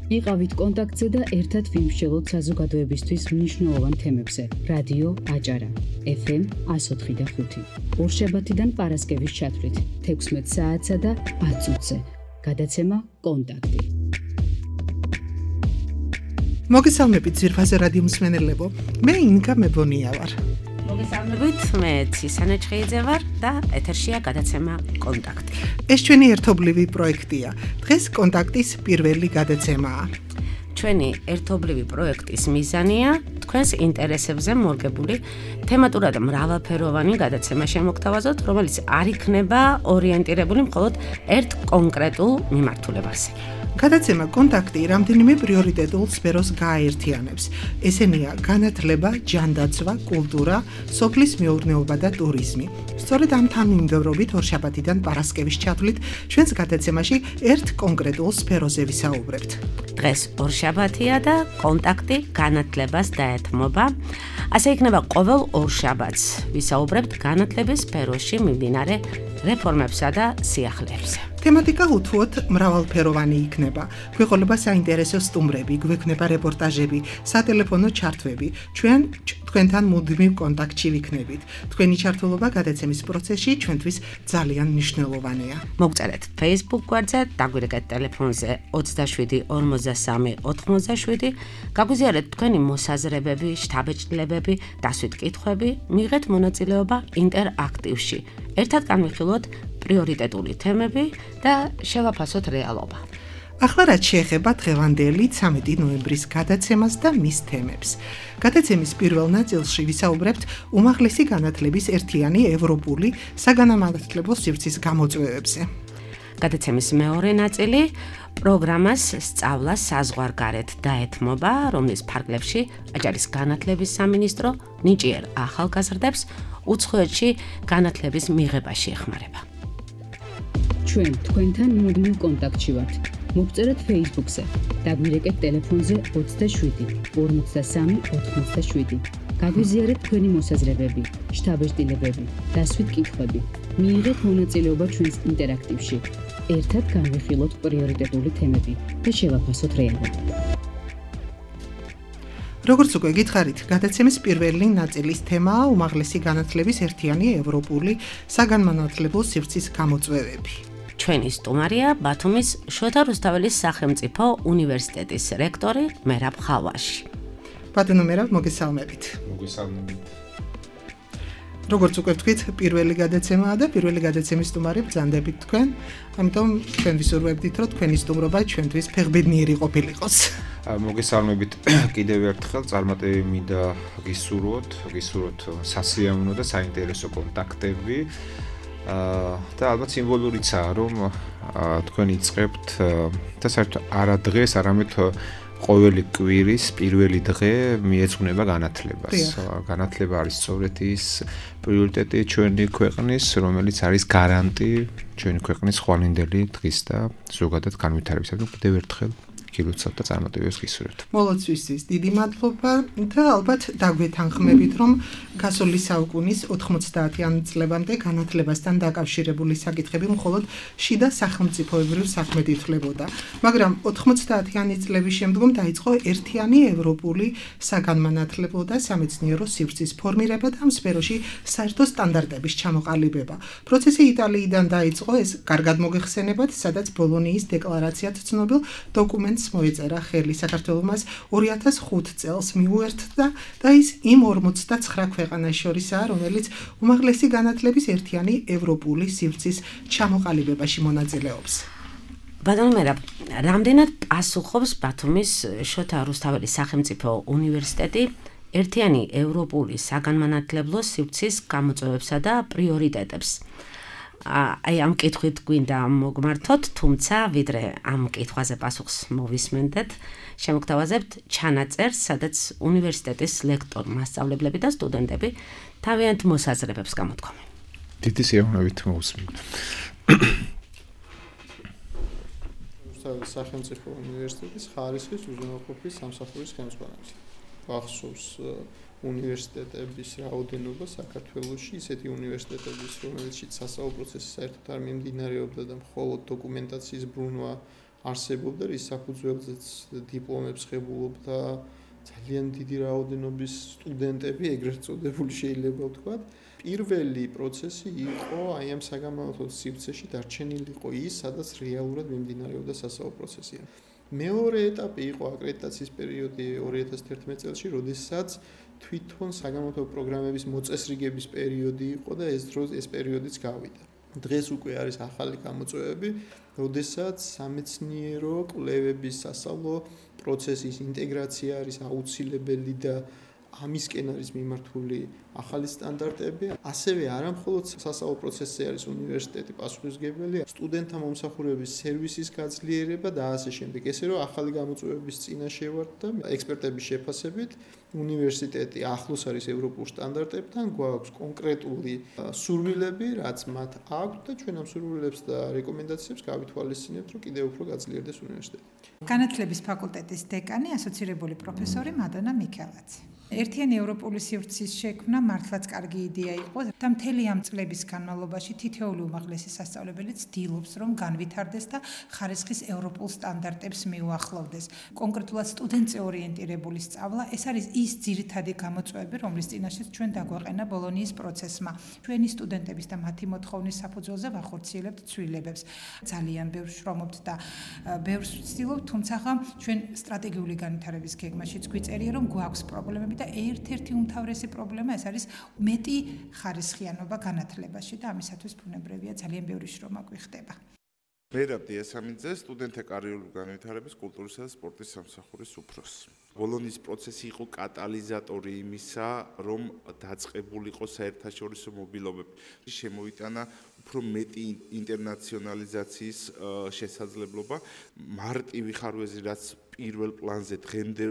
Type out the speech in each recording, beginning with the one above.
იყავით კონტაქტზე და ერთად ვიმსჯელოთ საზოგადოებისთვის მნიშვნელოვან თემებზე. რადიო აჭარა, FM 104.5. ორშაბათიდან პარასკევის ჩათვლით 16 საათსა და 10 წუთზე. გადაცემა კონტაქტი. მოგესალმებით ძვირფაზე რადიო მსმენელებო. მე ინგა მებონია ვარ. მოგესალმებით, მე ცისანა ჩხეიძე ვარ და ეთერშია გადაცემა კონტაქტი. ეს ჩვენი ერთობლივი პროექტია. დღეს კონტაქტის პირველი გადაცემაა. ჩვენი ერთობლივი პროექტის მიზანია თქვენს ინტერესებზე მორგებული თემატურად მრავალფეროვანი გადაცემა შემოგთავაზოთ, რომელიც არ იქნება ორიენტირებული მხოლოდ ერთ კონკრეტულ მიმართულებაზე. გადაცემა კონტაქტი რამდენიმე პრიორიტეტულ სფეროს გააერთიანებს. ესენია განათლება, ჯანდაცვა, კულტურა, სოფლის მეურნეობა და ტურიზმი. სწორედ ამ თანმიმდევრობით ორშაბათიდან პარასკევის ჩათვლით ჩვენს გადაცემაში ერთ კონკრეტულ სფეროზე ვისაუბრებთ. დღეს ორშაბათია და კონტაქტი განათლებას დაეთმობა. ასე იქნება ყოველ ორშაბათს ვისაუბრებთ განათლების სფეროში მიმდინარე რეფორმებსა და სიახლეებზე. თემატიკა უთუოდ მრავალფეროვანი იქნება. გვეყოლება საინტერესო სტუმრები, გვექნება რეპორტაჟები, სატელეფონო ჩართვები. თქვენთან მუდმივ კონტაქტში ვიქნებით. თქვენი ჩართულობა გადაცემის პროცესში ჩვენთვის ძალიან მნიშვნელოვანია. მოგწერეთ Facebook გვერდზე, დაგვირეკეთ ტელეფონზე 27 53 87, გაგვიზიარეთ თქვენი მოსაზრებები, შთაბეჭდილებები, დასვით კითხვები, მიიღეთ მონაწილეობა ინტერაქტივში. ერთად განვიხილოთ პრიორიტეტული თემები და შევაფასოთ რეალობა. ახლა რაც შეეხება დღევანდელი 13 ნოემბრის გადაცემას და მის თემებს. გადაცემის პირველ ნაწილში ვისაუბრებთ უმაღლესი განათლების ერთიანი ევროპული საგანმანათლებლო სივრცის გამოწვევებზე. გადაცემის მეორე ნაწილი პროგრამას სწავლა საზღვარგარეთ დაეთმობა, რომლის ფარგლებში აჭარის განათლების სამინისტრო ნიჭიერ ახალგაზრდებს უცხოეთში განათლების მიღებაში ეხმარება. ჩვენ თქვენთან მუდმივ კონტაქტში ვართ. მოგწერეთ Facebook-ზე, დაგვირეკეთ ტელეფონზე 27 53 87. გაგვიზიარეთ თქვენი მოსაზრებები, შთაბეჭდილებები, დასვით კითხვები. მიიღეთ მონაწილეობა ჩვენს ინტერაქტივში. ერთად განვიხილოთ პრიორიტეტული თემები და შევაფასოთ რეალობა. როგორც უკვე გითხარით, გადაცემის პირველი ნაწილის თემაა უმაღლესი განათლების ერთიანი ევროპული საგანმანათლებლო სივრცის გამოწვევები. ჩვენი სტუმარია ბათუმის შოთა რუსთაველის სახელმწიფო უნივერსიტეტის რექტორი მერაბ ხალვაში. ბატონო მერაბ, მოგესალმებით. მოგესალმებით. როგორც უკვე ვთქვით, პირველი გადაცემაა და პირველი გადაცემის სტუმარი ბრძანდებით თქვენ. ამიტომ თქვენ ვისურვებდით, რომ თქვენი სტუმრობა ჩვენთვის ფეხბედნიერი ყოფილიყოს. მოგესალმებით კიდევ ერთხელ, წარმატებები მინდა გისურვოთ სასიამოვნო და საინტერესო კონტაქტები. და ალბათ სიმბოლურიცაა, რომ თქვენ იწყებთ და საერთოდ არა დღეს, არამედ ყოველი კვირის პირველი დღე მიეძღვნება განათლებას. განათლება არის სწორედ ის პრიორიტეტი ჩვენი ქვეყნის, რომელიც არის გარანტი ჩვენი ქვეყნის ხვალინდელი დღის და ზოგადად განვითარებისა. კიდევ ერთხელ გილოცავთ და წარმატებებს გისურვებთ. მოლოცვისთვის დიდი მადლობა და ალბათ დაგვეთანხმებით, რომ გასული საუკუნის 90-იან წლებამდე განათლებასთან დაკავშირებული საკითხები მხოლოდ შიდა სახელმწიფოებრივ საქმედ ითვლებოდა. მაგრამ 90-იანი წლების შემდგომ დაიწყო ერთიანი ევროპული საგანმანათლებლო და სამეცნიერო სივრცის ფორმირება და ამ სფეროში საერთო სტანდარტების ჩამოყალიბება. პროცესი იტალიიდან დაიწყო, ეს კარგად მოგეხსენებათ, სადაც ბოლონიის დეკლარაციად ცნობილ დოკუმენტს მოეწერა ხელი. საქართველოს 2005 წელს მიუერთდა და ის იმ 49 ქვეყანას შორისაა, რომელიც უმაღლესი განათლების ერთიანი ევროპული სივრცის ჩამოყალიბებაში მონაწილეობს. ბატონო მერაბ, რამდენად პასუხობს ბათუმის შოთა რუსთაველის სახელმწიფო უნივერსიტეტი ერთიანი ევროპული საგანმანათლებლო სივრცის გამოწვევებსა და პრიორიტეტებს? აი ამ კითხვით გვინდა მოგმართოთ, თუმცა ვიდრე ამ კითხვაზე პასუხს მოვისმენდეთ, შემოგთავაზებთ ჩანაწერს, სადაც უნივერსიტეტის ლექტორი, მასწავლებლები და სტუდენტები თავიანთ მოსაზრებებს გამოთქვამენ. დიდი სიამოვნებით მოვუსმინოთ. რუსთაველის სახელმწიფო უნივერსიტეტის ხარისხის უზრუნველყოფის სამსახურის ხელმძღვანელი. ახსოვს უნივერსიტეტების რაოდენობა საქართველოში, ისეთი უნივერსიტეტების, რომელშიც სასწავლო პროცესი საერთოდ არ მიმდინარეობდა და მხოლოდ დოკუმენტაციის ბრუნვა არსებობდა, რის საფუძველზეც დიპლომებს ღებულობდა ძალიან დიდი რაოდენობის სტუდენტები, ეგრეთ წოდებული შეიძლება ვთქვათ. პირველი პროცესი იყო აი ამ საგამონათლებლო სივრცეში დარჩენილიყო ის, სადაც რეალურად მიმდინარეობდა სასწავლო პროცესი. მეორე ეტაპი იყო აკრედიტაციის პერიოდი 2011 წელს, როდესაც თვითონ საგამონათლებლო პროგრამების მოწესრიგების პერიოდი იყო და ეს პერიოდიც გავიდა. დღეს უკვე არის ახალი გამოწვევები, როდესაც სამეცნიერო კვლევების სასწავლო პროცესის ინტეგრაცია არის აუცილებელი და ამისკენ არის მიმართული ახალი სტანდარტები. ასევე არა მხოლოდ სასწავლო პროცესზე არის უნივერსიტეტი პასუხისმგებელი, სტუდენტთა მომსახურების სერვისის გაძლიერება და ასე შემდეგ. ესე რომ ახალი გამოწვევების წინაშე ვართ და ექსპერტების შეფასებით უნივერსიტეტი ახლოს არის ევროპულ სტანდარტებთან, გვაქვს კონკრეტული სურვილები, რაც მათ აქვთ და ჩვენ ამ სურვილებს და რეკომენდაციებს გავითვალისწინებთ, რომ კიდევ უფრო გაძლიერდეს უნივერსიტეტი. განათლების ფაკულტეტის დეკანი, ასოცირებული პროფესორი მადონა მიქელაძე. ერთიანი ევროპული სივრცის შექმნა მართლაც კარგი იდეა იყო და მთელი ამ წლების განმავლობაში თითოეული უმაღლესი სასწავლებელი ცდილობს, რომ განვითარდეს და ხარისხის ევროპულ სტანდარტებს მიუახლოვდეს. კონკრეტულად სტუდენტზე ორიენტირებული სწავლა, ეს არის ის ძირითადი გამოწვევები, რომლის წინაშეც ჩვენ დაგვეყენა ბოლონიის პროცესმა. ჩვენი სტუდენტების და მათი მოთხოვნის საფუძველზე ვახორციელებთ ცვლილებებს. ძალიან ბევრს შრომობთ და ბევრს ვცდილობთ, თუმცა ჩვენ სტრატეგიული განვითარების გეგმაშიც გვიწერია, რომ გვაქვს პრობლემები და ერთ-ერთი უმთავრესი პრობლემა ეს არის მეტი ხარისხიანობა განათლებაში და ამისათვის ბუნებრივია ძალიან ბევრი შრომა გვიხდება. მერაბ დიასამიძე, სტუდენტთა კარიერული განვითარების, კულტურისა და სპორტის სამსახურის უფროსი. ბოლონიის პროცესი იყო კატალიზატორი იმისა, რომ დაწყებულიყო საერთაშორისო მობილობები. შემოიტანა უფრო მეტი ინტერნაციონალიზაციის შესაძლებლობა, მარტივი ხარვეზი, რაც პირველ პლანზე დღემდე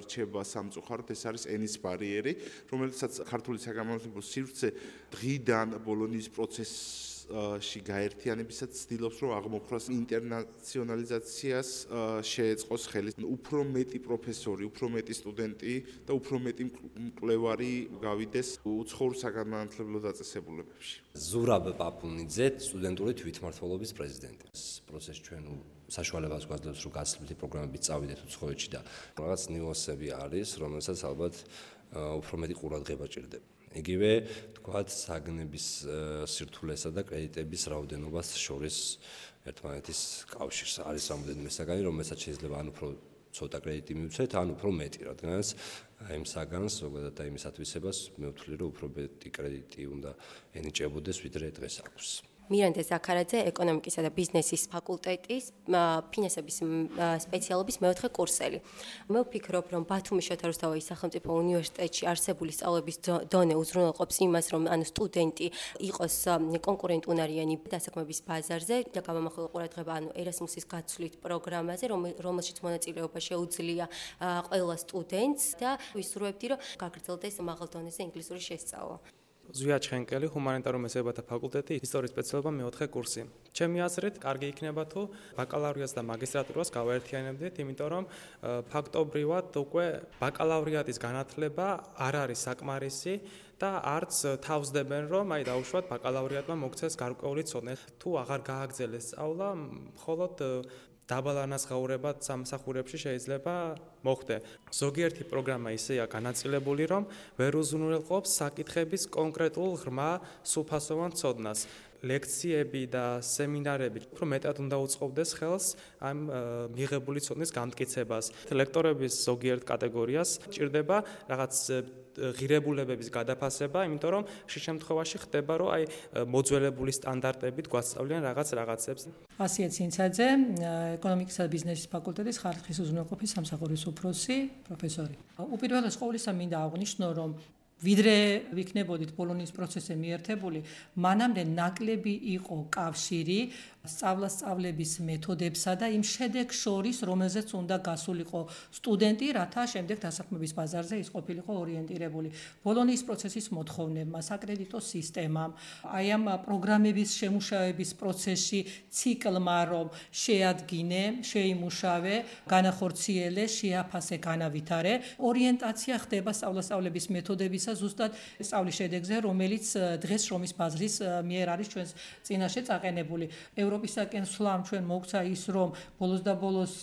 რჩება სამწუხაროდ, ეს არის ენის ბარიერი, რომელსაც ქართული საგამონათლებლო სივრცე დღიდან ბოლონიის პროცესში გაერთიანებისაც ცდილობს, რომ აღმოფხვრას ინტერნაციონალიზაციას შეეწყოს ხელი. უფრო მეტი პროფესორი, უფრო მეტი სტუდენტი და უფრო მეტი მკვლევარი გავიდეს უცხოურ საგანმანათლებლო დაწესებულებებში. ზურაბ პაპუნიძე, სტუდენტური თვითმმართველობის პრეზიდენტი. ეს პროცესი ჩვენ საშუალებას გვაძლევს, რომ გასწრებითი პროგრამებით წავიდეთ უცხოეთში და რაღაც ნიუანსები არის, რომელსაც ალბათ უფრო მეტი ყურადღება ჭირდება. იგივე, თქვათ, საგნების სირთულესა და კრედიტების რაოდენობას შორის ერთმანეთის კავშირს არის რამოდენიმე საგანი, რომელსაც შეიძლება ან უფრო ცოტა კრედიტი მივცეთ, ან უფრო მეტი, რადგანაც იმ საგანს, ზოგადად იმის ათვისებას, მე ვთვლი, რომ უფრო მეტი კრედიტი უნდა ენიჭებოდეს, ვიდრე დღეს აქვს. მირანდე ზაქარაძე, ეკონომიკისა და ბიზნესის ფაკულტეტის ფინანსების სპეციალობის მეოთხე კურსელი. მე ვფიქრობ, რომ ბათუმის შოთა რუსთაველის სახელმწიფო უნივერსიტეტში არსებული სწავლების დონე უზრუნველყოფს იმას, რომ ანუ სტუდენტი იყოს კონკურენტუნარიანი დასაქმების ბაზარზე და გამომახვილ ყურადღება ანუ ერასმუსის გაცვლით პროგრამაზე, რომელშიც მონაწილეობა შეუძლია ყველა სტუდენტს და ვისურვებდი, რომ გაგრძელდეს მაღალ დონეზე ინგლისური შესწავლა. ზვია ჩხენკელი, ჰუმანიტარულ მესამეობათა ფაკულტეტი, ისტორიის სპეციალობა მეოთხე კურსი. ჩემი აზრით, კარგი იქნება თუ ბაკალავრიატს და მაგისტრატურას გავაერთიანებდით, იმიტომ რომ ფაქტობრივად უკვე ბაკალავრიატის განათლება არ არის საკმარისი და არც თავსდებენ, რომ აი დაუშვათ ბაკალავრიატმა მოგცეს გარკვეული ცოდნა. თუ აღარ გააგრძელეს სწავლა, მხოლოდ დაბალანაზღაურება სამსახურებში შეიძლება მოხდეს. ზოგიერთი პროგრამა ისეა განაწილებული, რომ ვერ უზრუნველყოფს საკითხების კონკრეტულ ღრმა სრულფასოვან ცოდნას. ლექციები და სემინარები უფრო მეტად უნდა უწყობდეს ხელს ამ მიღებული ცოდნის გამტკიცებას. ლექტორების ზოგიერთ კატეგორიას ჭირდება რაღაც ღირებულებების გადაფასება, იმიტომ რომ შე შემთხვევაში ხდება, რომ აი მოძველებული სტანდარტებით გვასწავლიან რაღაცებს. ასია ცინცაძე, ეკონომიკისა და ბიზნესის ფაკულტეტის ხარისხის უზრუნველყოფის სამსახურის უფროსი, პროფესორი. უპირველეს ყოვლისა მინდა აღვნიშნო, რომ ვიდრე ვიქნებოდით ბოლონიის პროცესზე მიერთებული, მანამდე ნაკლები იყო კავშირი სწავლების მეთოდებსა და იმ შედეგს შორის, რომელზეც უნდა გასულიყო სტუდენტი, რათა შემდეგ დასაქმების ბაზარზე ის ყოფილიყო ორიენტირებული. ბოლონიის პროცესის მოთხოვნებმა, საკრედიტო სისტემამ, აი ამ პროგრამების შემუშავების პროცესში ციკლმა, რომ შეადგინე, შეიმუშავე, განახორციელე, შეაფასე, განავითარე, ორიენტაცია ხდება სწავლების მეთოდების როდესაც ზუსტად სწავლის შედეგზე, რომელიც დღეს შრომის ბაზრის მიერ არის ჩვენს წინაშე წაყენებული. ევროპისაკენ სვლამ ჩვენ მოგცა ის, რომ ბოლოს და ბოლოს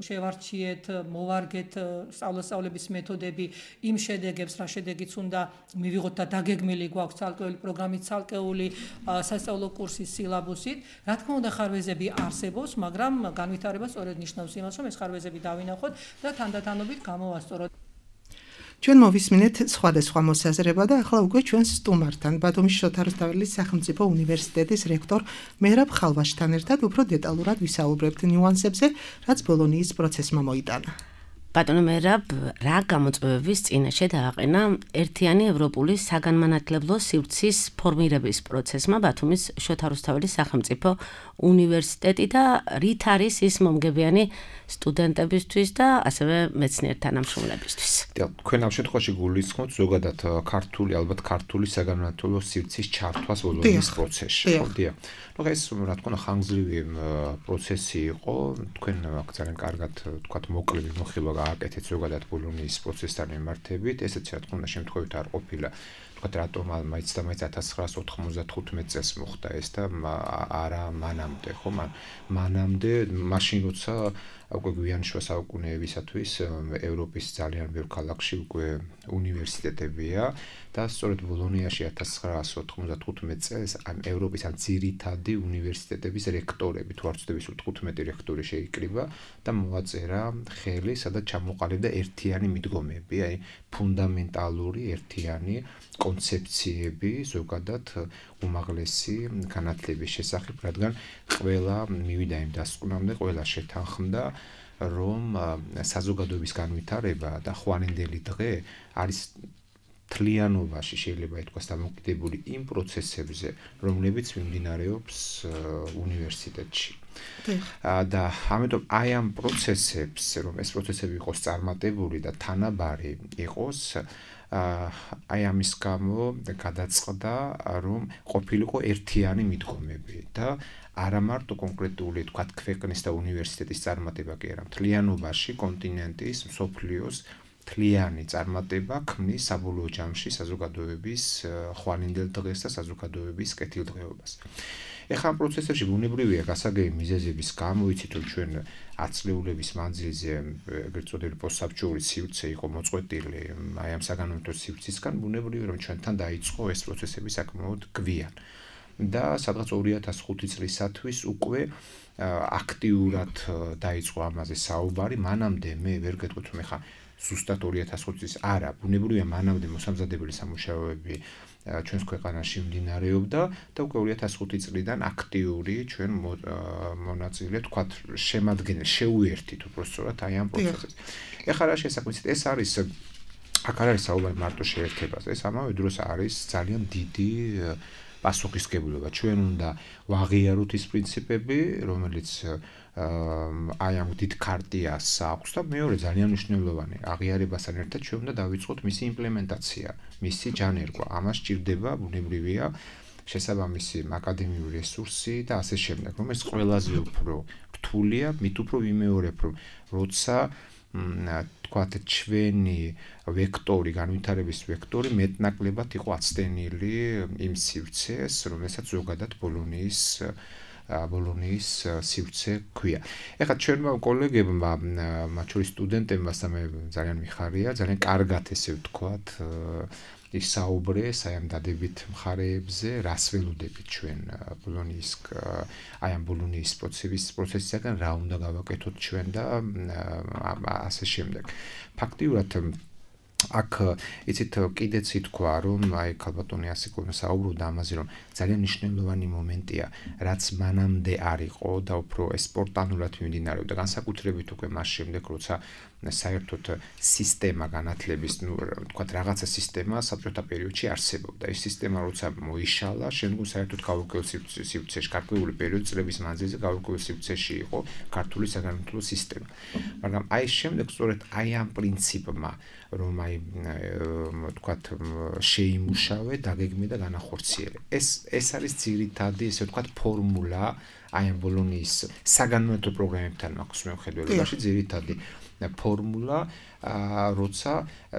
შევარჩიეთ, მოვარგეთ სწავლების მეთოდები იმ შედეგებს, რა შედეგიც უნდა მივიღოთ და დაგეგმილი გვაქვს ცალკეული პროგრამით, ცალკეული სასწავლო კურსის სილაბუსით. რა თქმა უნდა, ხარვეზები არსებობს, მაგრამ განვითარება სწორედ ნიშნავს იმას, რომ ეს ხარვეზები დავინახოთ და თანდათანობით გამოვასწოროთ. ჩვენ მოვისმინეთ სხვადასხვა მოსაზრება და ახლა უკვე ჩვენს სტუმართან, ბათუმის შოთა რუსთაველის სახელმწიფო უნივერსიტეტის რექტორ მერაბ ხალვაშთან ერთად უფრო დეტალურად ვისაუბრებთ ნიუანსებზე, რაც ბოლონიის პროცესმა მოიტანა. ბატონო მერაბ, რა გამოწვევების წინაშე დააყენა ერთიანი ევროპული საგანმანათლებლო სივრცის ფორმირების პროცესმა ბათუმის შოთა რუსთაველის სახელმწიფო უნივერსიტეტი და რით არის ის მომგებიანი სტუდენტებისთვის და ასევე მეცნიერ თანამშრომლებისთვის. თქვენ ამ შემთხვევაში გულისხმობთ ზოგადად ალბათ ქართული საგანმანათლებლო სივრცის ჩართვას ბოლონიის პროცესში. ხოდია. ეს რა თქმა უნდა ხანგრძლივი პროცესი იყო, თქვენ ძალიან კარგად თქვათ მოკლედ მოხილვა გააკეთეთ ზოგადად ბოლონიის პროცესთან მიმართებით, ესეც რა თქმა უნდა შემთხვევით არ ყოფილა. თქვათ რატომ მაინც 1995 წელს მოხდა ეს და არა მანამდე, ხო? მანამდე მაშინ როცა უკვე გვიან შუა საუკუნეებისათვის ევროპის ძალიან ბევრ ქალაქში უკვე უნივერსიტეტებია და სწორედ ბოლონიაში 1995 წელს ამ ევროპის ამ ძირითადი უნივერსიტეტების რექტორები, თუ არ ვცდები, სულ 15 რექტორი შეიკრიბა და მოაწერა ხელი, სადაც ჩამოყალიბდა ერთიანი მიდგომები, აი ფუნდამენტალური ერთიანი კონცეფციები ზოგადად უმაღლესი განათლების შესახებ, რადგან ყველა მივიდა იმ დასკვნამდე, ყველა შეთანხმდა, რომ საზოგადოების განვითარება და ხვანინდელი დღე არის თლიანობაში შეიძლება ითქვას დამოკიდებული იმ პროცესებზე, რომლებიც მიმდინარეობს უნივერსიტეტში. და ამიტომ აი ამ პროცესებს, რომ ეს პროცესები იყოს წარმატებული და თანაბარი იყოს, აი ამის გამო გადაწყდა, რომ ყოფილიყო ერთიანი მიდგომები და არა მარტო კონკრეტული თქვათ ქვეყნის და უნივერსიტეტის წარმატება კი არა, მთლიანობაში კონტინენტის, მსოფლიოს თლიანი წარმატება ქმნის საბოლოო ჯამში საზოგადოების ხვანინდელ დღეს და საზოგადოების კეთილდღეობას. ეხლა ამ პროცესებში ბუნებრივია გასაგები მიზეზების გამო, იცით რომ ჩვენ აწლეულების მანძილზე ეგრეთ წოდებული პოსტსაბჭოური სივრცე იყო მოწყვეტილი აი ამ საგანმანათლებლო სივრცისგან, ბუნებრივია რომ ჩვენთან დაიწყო ეს პროცესები საკმაოდ გვიან. და სადღაც 2005 წლისათვის უკვე აქტიურად დაიწყო ამაზე საუბარი, მანამდე მე ვერ გეტყვით რომ ეხა ზუსტად 2005 წლის არა, ბუნებრივია მანამდე მოსამზადებელი სამუშაოები ჩვენს ქვეყანაში მიმდინარეობდა და უკვე 2005 წლიდან აქტიური ჩვენ მონაწილე თქვათ შემადგენელი შეუერთით უბრალოდ აი ამ პროცესს. ეხლა რა შესაძლოა ეს არის აქ არ არის საუბარი მარტო შეერთებაზე, ეს ამავე დროს არის ძალიან დიდი პასუხისმგებლობა. ჩვენ უნდა ვაღიაროთ ის პრინციპები, რომელიც აი ამ დიდ ქარტიას აქვს და მეორე ძალიან მნიშვნელოვანი აღიარებასთან ერთად ჩვენ უნდა დავიწყოთ მისი იმპლემენტაცია, მისი ჯანერგვა. ამას სჭირდება ბუნებრივია შესაბამისი აკადემიური რესურსი და ასე შემდეგ, რომ ეს ყველაზე უფრო რთულია, მით უფრო ვიმეორებ, რომ როცა თქვათ ჩვენი ვექტორი, განვითარების ვექტორი მეტნაკლებად იყო აცდენილი იმ სივრცეს, რომელსაც ზოგადად ბოლონიის სივრცე ქვია. ეხლა ჩვენმა კოლეგებმა, მათ შორის სტუდენტებმა და მე ძალიან მიხარია, ძალიან კარგად ესე ვთქვათ, ისაუბრეს აი ამ დადებით მხარეებზე, რას ველოდებით ჩვენ აი ამ ბოლონიის პროცესისაგან, რა უნდა გავაკეთოთ ჩვენ და ასე შემდეგ. ფაქტიურად აქ იცით კიდეც ითქვა, რომ აი ქალბატონი ასიკოვნა საუბრობდა ამაზე, რომ ძალიან მნიშვნელოვანი მომენტია, რაც მანამდე არ იყო და უფრო სპონტანურად მიმდინარეობდა, განსაკუთრებით უკვე მას შემდეგ, როცა საერთოდ სისტემა განათლების, თქვათ რაღაცა სისტემა საბჭოთა პერიოდში არსებობდა. ეს სისტემა როცა მოიშალა, შემდგომ საერთოდ გაურკვეველ სივრცეში, გარკვეული პერიოდი წლების მანძილზე გაურკვეველ სივრცეში იყო ქართული საგანმანათლებლო სისტემა. მაგრამ აი შემდეგ სწორედ აი ამ პრინციპმა, რომ აი თქვათ შეიმუშავე, დაგეგმე და განახორციელე. ეს არის ძირითადი, ესე ვთქვათ, ფორმულა აი ამ ბოლონიის საგანმანათლებლო პროგრამებთან მაქვს მიუხედველობაში ძირითადი ფორმულა, როცა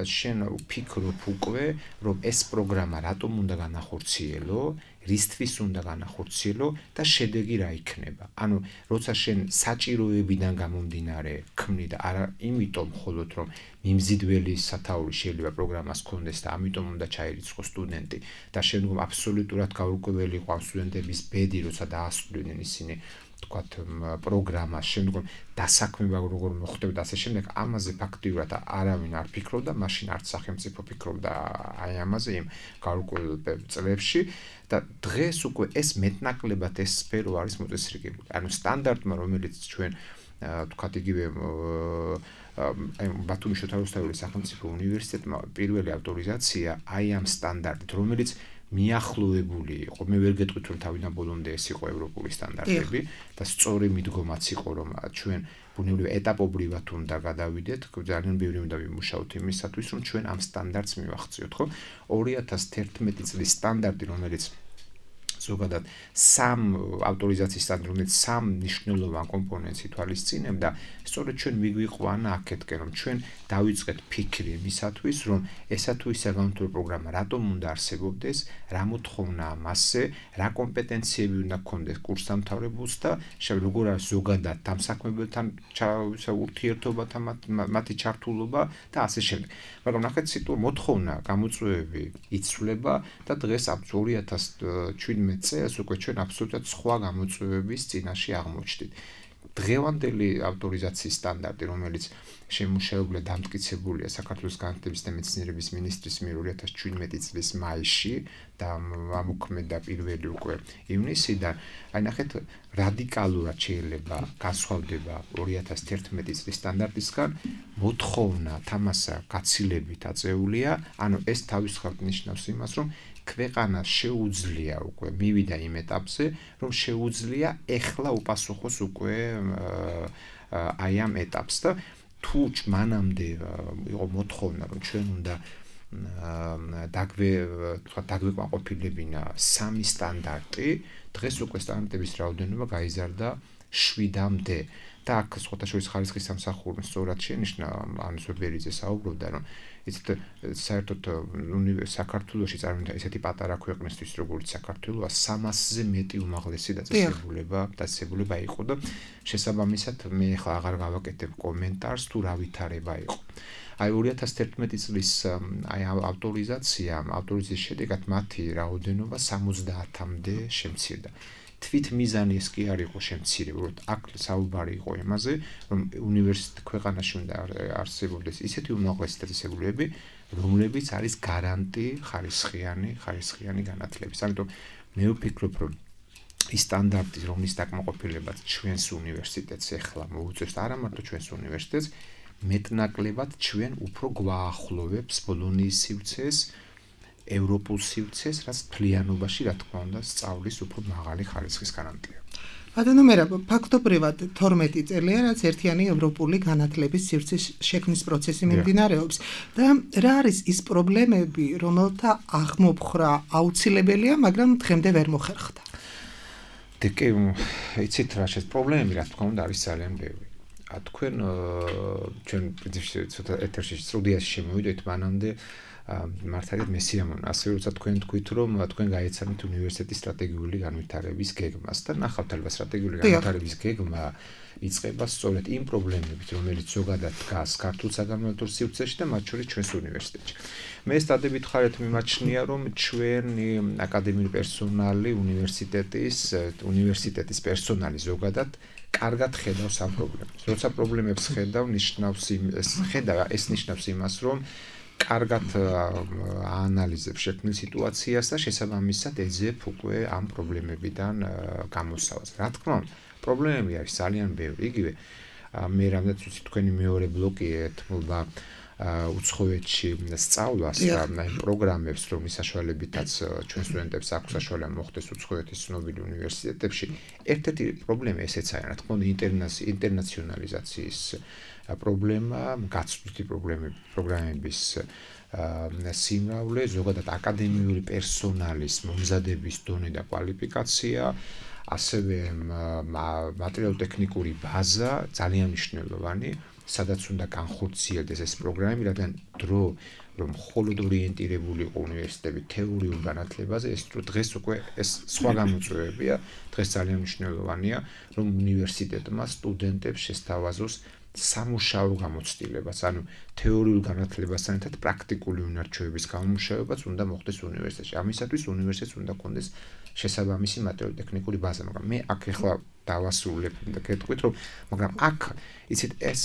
შენ ვფიქრობ უკვე, რომ ეს პროგრამა რატომ უნდა განახორციელო, რისთვის უნდა განახორციელო და შედეგი რა იქნება. ანუ როცა შენ საჭიროებიდან გამომდინარე ქმნი და არა იმიტომ მხოლოდ რომ მიმზიდველი სათაური შეიძლება პროგრამას ქონდეს და ამიტომ უნდა ჩაირიცხოს სტუდენტი და შემდგომ აბსოლუტურად გაურკვეველი იყო ამ სტუდენტების ბედი, როცა დაასრულებდნენ ისინი თქვათ პროგრამას, შემდგომ დასაქმება როგორ მოხდება და ასე შემდეგ, ამაზე ფაქტიურად არავინ არ ფიქრობდა, მაშინ არც სახელმწიფო ფიქრობდა აი ამაზე იმ გაურკვეველ წლებში და დღეს უკვე ეს მეტნაკლებად ეს სფერო არის მოწესრიგებული. ანუ სტანდარტმა, რომელიც ჩვენ თქვათ იგივე ბათუმის შოთა რუსთაველის სახელმწიფო უნივერსიტეტმა პირველი ავტორიზაცია აი ამ სტანდარტით, რომელიც მიახლოებული იყო. მე ვერ გეტყვით რომ თავიდან ბოლომდე ეს იყო ევროპული სტანდარტები და სწორი მიდგომაც იყო რომ ჩვენ ბუნებრივია ეტაპობრივად უნდა გადავიდეთ, ძალიან ბევრი უნდა ვიმუშაოთ იმისათვის რომ ჩვენ ამ სტანდარტს მივახციოთ, ხო? 2011 წლის სტანდარტი, რომელიც ზოგადად სამ ავტორიზაციის სტანდარტი, რომელიც სამ მნიშვნელოვან კომპონენტს ითვალისწინებდა, სწორედ ჩვენ მიგვიყვანა აქეთკენ, რომ ჩვენ დავიწყეთ ფიქრი იმისათვის, რომ ესა თუ ისა განათლებული პროგრამა რატომ უნდა არსებობდეს, რა მოთხოვნაა მასზე, რა კომპეტენციები უნდა გქონდეს კურსდამთავრებულს და როგორ არის ზოგადად დამსაქმებელთან ურთიერთობა და მათი ჩართულობა და ასე შემდეგ. მაგრამ ნახეთ სიტუაცია მოთხოვნა, გამოწვევები იცვლება და დღეს 2017 წელს უკვე ჩვენ აბსოლუტურად სხვა გამოწვევების წინაშე აღმოჩნდით. დღევანდელი ავტორიზაციის სტანდარტი, რომელიც შემუშავებული დამტკიცებულია საქართველოს განათლების და მეცნიერების ministris მიერ 2017 წლის მაისში და ამოქმედა პირველი უკვე ივნისიდან, აი ნახეთ რადიკალურად შეიძლება განსხვავდება 2011 წლის სტანდარტისგან, მოთხოვნა თამასა გაცილებით აწეულია, ანუ ეს თავისთავად ნიშნავს იმას, რომ ქვეყანას შეუძლია უკვე მივიდა იმ ეტაპზე, რომ შეუძლია ეხლა უპასუხოს უკვე აი ამ ეტაპს და თუ მანამდე იყო მოთხოვნა, რომ ჩვენ უნდა დაგვეკმაყოფილებინა სამი სტანდარტი, დღეს უკვე სტანდარტების რაოდენობა გაიზარდა 7-მდე. და აქ სხვათა შორის ხარისხის სამსახური სწორად შენიშნა, ანუს ვებერიძე საუბრობდა, რომ იცით საერთოდ საქართველოში წარმოიდგინეთ ესეთი პატარა ქვეყნისთვის, როგორც საქართველოა, 300-ზე მეტი უმაღლესი დაწესებულება იყო და შესაბამისად მე ახლა აღარ გავაკეთებ კომენტარს თუ რა ვითარება იყო. აი 2011 წლის აი ავტორიზაციის შედეგად მათი რაოდენობა 70-მდე შემცირდა. თვით მიზანი ეს კი არ იყო შემცირება, უბრალოდ აქ საუბარი იყო იმაზე, რომ უნივერსიტეტ ქვეყანაში უნდა არსებობდეს ისეთი უმაღლესი დაწესებულებები, რომლებიც არის გარანტი ხარისხიანი განათლების. ამიტომ მე ვფიქრობ, რომ ის სტანდარტი, რომლის დაკმაყოფილებაც ჩვენს უნივერსიტეტს ეხლა მოუწევს, არა მარტო ჩვენს უნივერსიტეტს, მეტნაკლებად ჩვენ უფრო გვაახლოვებს ბოლონიის სივრცეს, ევროპულ სივრცეს, რაც მთლიანობაში, რა თქმა უნდა, სწავლის უფრო მაღალი ხარისხის გარანტია. ბატონო მერაბ, ფაქტობრივად 12 წელია, რაც ერთიანი ევროპული განათლების სივრცის შექმნის პროცესი მიმდინარეობს და რა არის ის პრობლემები, რომელთა აღმოფხრა აუცილებელია, მაგრამ დღემდე ვერ მოხერხდა? კი, იცით რა შეს პრობლემები, რა თქმა უნდა, არის ძალიან ბევრი. თქვენ ჩვენ ცოტა ეთერში სტუდიაში შემოვიდეთ მანამდე მართალია მე სიამოვნო. ასევე როცა თქვენ თქვით, რომ თქვენ გაეცანით უნივერსიტეტის სტრატეგიული განვითარების გეგმას და ნახავთ ალბათ სტრატეგიული განვითარების გეგმა იწყება სწორედ იმ პრობლემებით, რომელიც ზოგადად დგას ქართულ საგანმანათლებლო სივრცეში და მათ შორის ჩვენს უნივერსიტეტში. მე სტადებით ხარეთ მიმაჩნია, რომ ჩვენი აკადემიური პერსონალი უნივერსიტეტის პერსონალი ზოგადად კარგად ხედავს ამ პრობლემებს. როცა პრობლემებს ეს ნიშნავს იმას, რომ კარგად აანალიზებს შექმნილ სიტუაციას და შესაბამისად ეძებ უკვე ამ პრობლემებიდან გამოსავალს. რა თქმა უნდა, პრობლემები არის ძალიან ბევრი. იგივე მე რამდენიც ვიცი თქვენი მეორე ბლოკი ეთმობა უცხოეთში სწავლას და პროგრამებს, რომლის საშუალებითაც ჩვენ სტუდენტებს აქვს საშუალება მოხდეს უცხოეთის ცნობილ უნივერსიტეტებში. ერთ-ერთი პრობლემა ესეც არის, რა თქმა უნდა, ინტერნაციონალიზაციის პრობლემა, გაცვლითი პროგრამების სიმრავლე, ზოგადად აკადემიური პერსონალის მომზადების დონე და კვალიფიკაცია, ასევე მატერიალურ-ტექნიკური ბაზა ძალიან მნიშვნელოვანი. სადაც უნდა განხორციელდეს ეს პროგრამები, რადგან დრო რომ მხოლოდ ორიენტირებული იყო უნივერსიტეტები თეორიულ განათლებაზე, ეს დღეს უკვე ეს სხვა გამოწვევებია, დღეს ძალიან მნიშვნელოვანია, რომ უნივერსიტეტმა სტუდენტებს შესთავაზოს სამუშაო გამოცდილებას, ანუ თეორიულ განათლებასთან ერთად პრაქტიკული უნარჩვევების გამომუშავებაც უნდა მოხდეს უნივერსიტეტში. ამისათვის უნივერსიტეტს უნდა კონდეს შესაბამისი მატერიალურ-ტექნიკური ბაზა, მაგრამ მე აქ ახლა დავასრულებ და გეტყვით, რომ მაგრამ აქ იცით ეს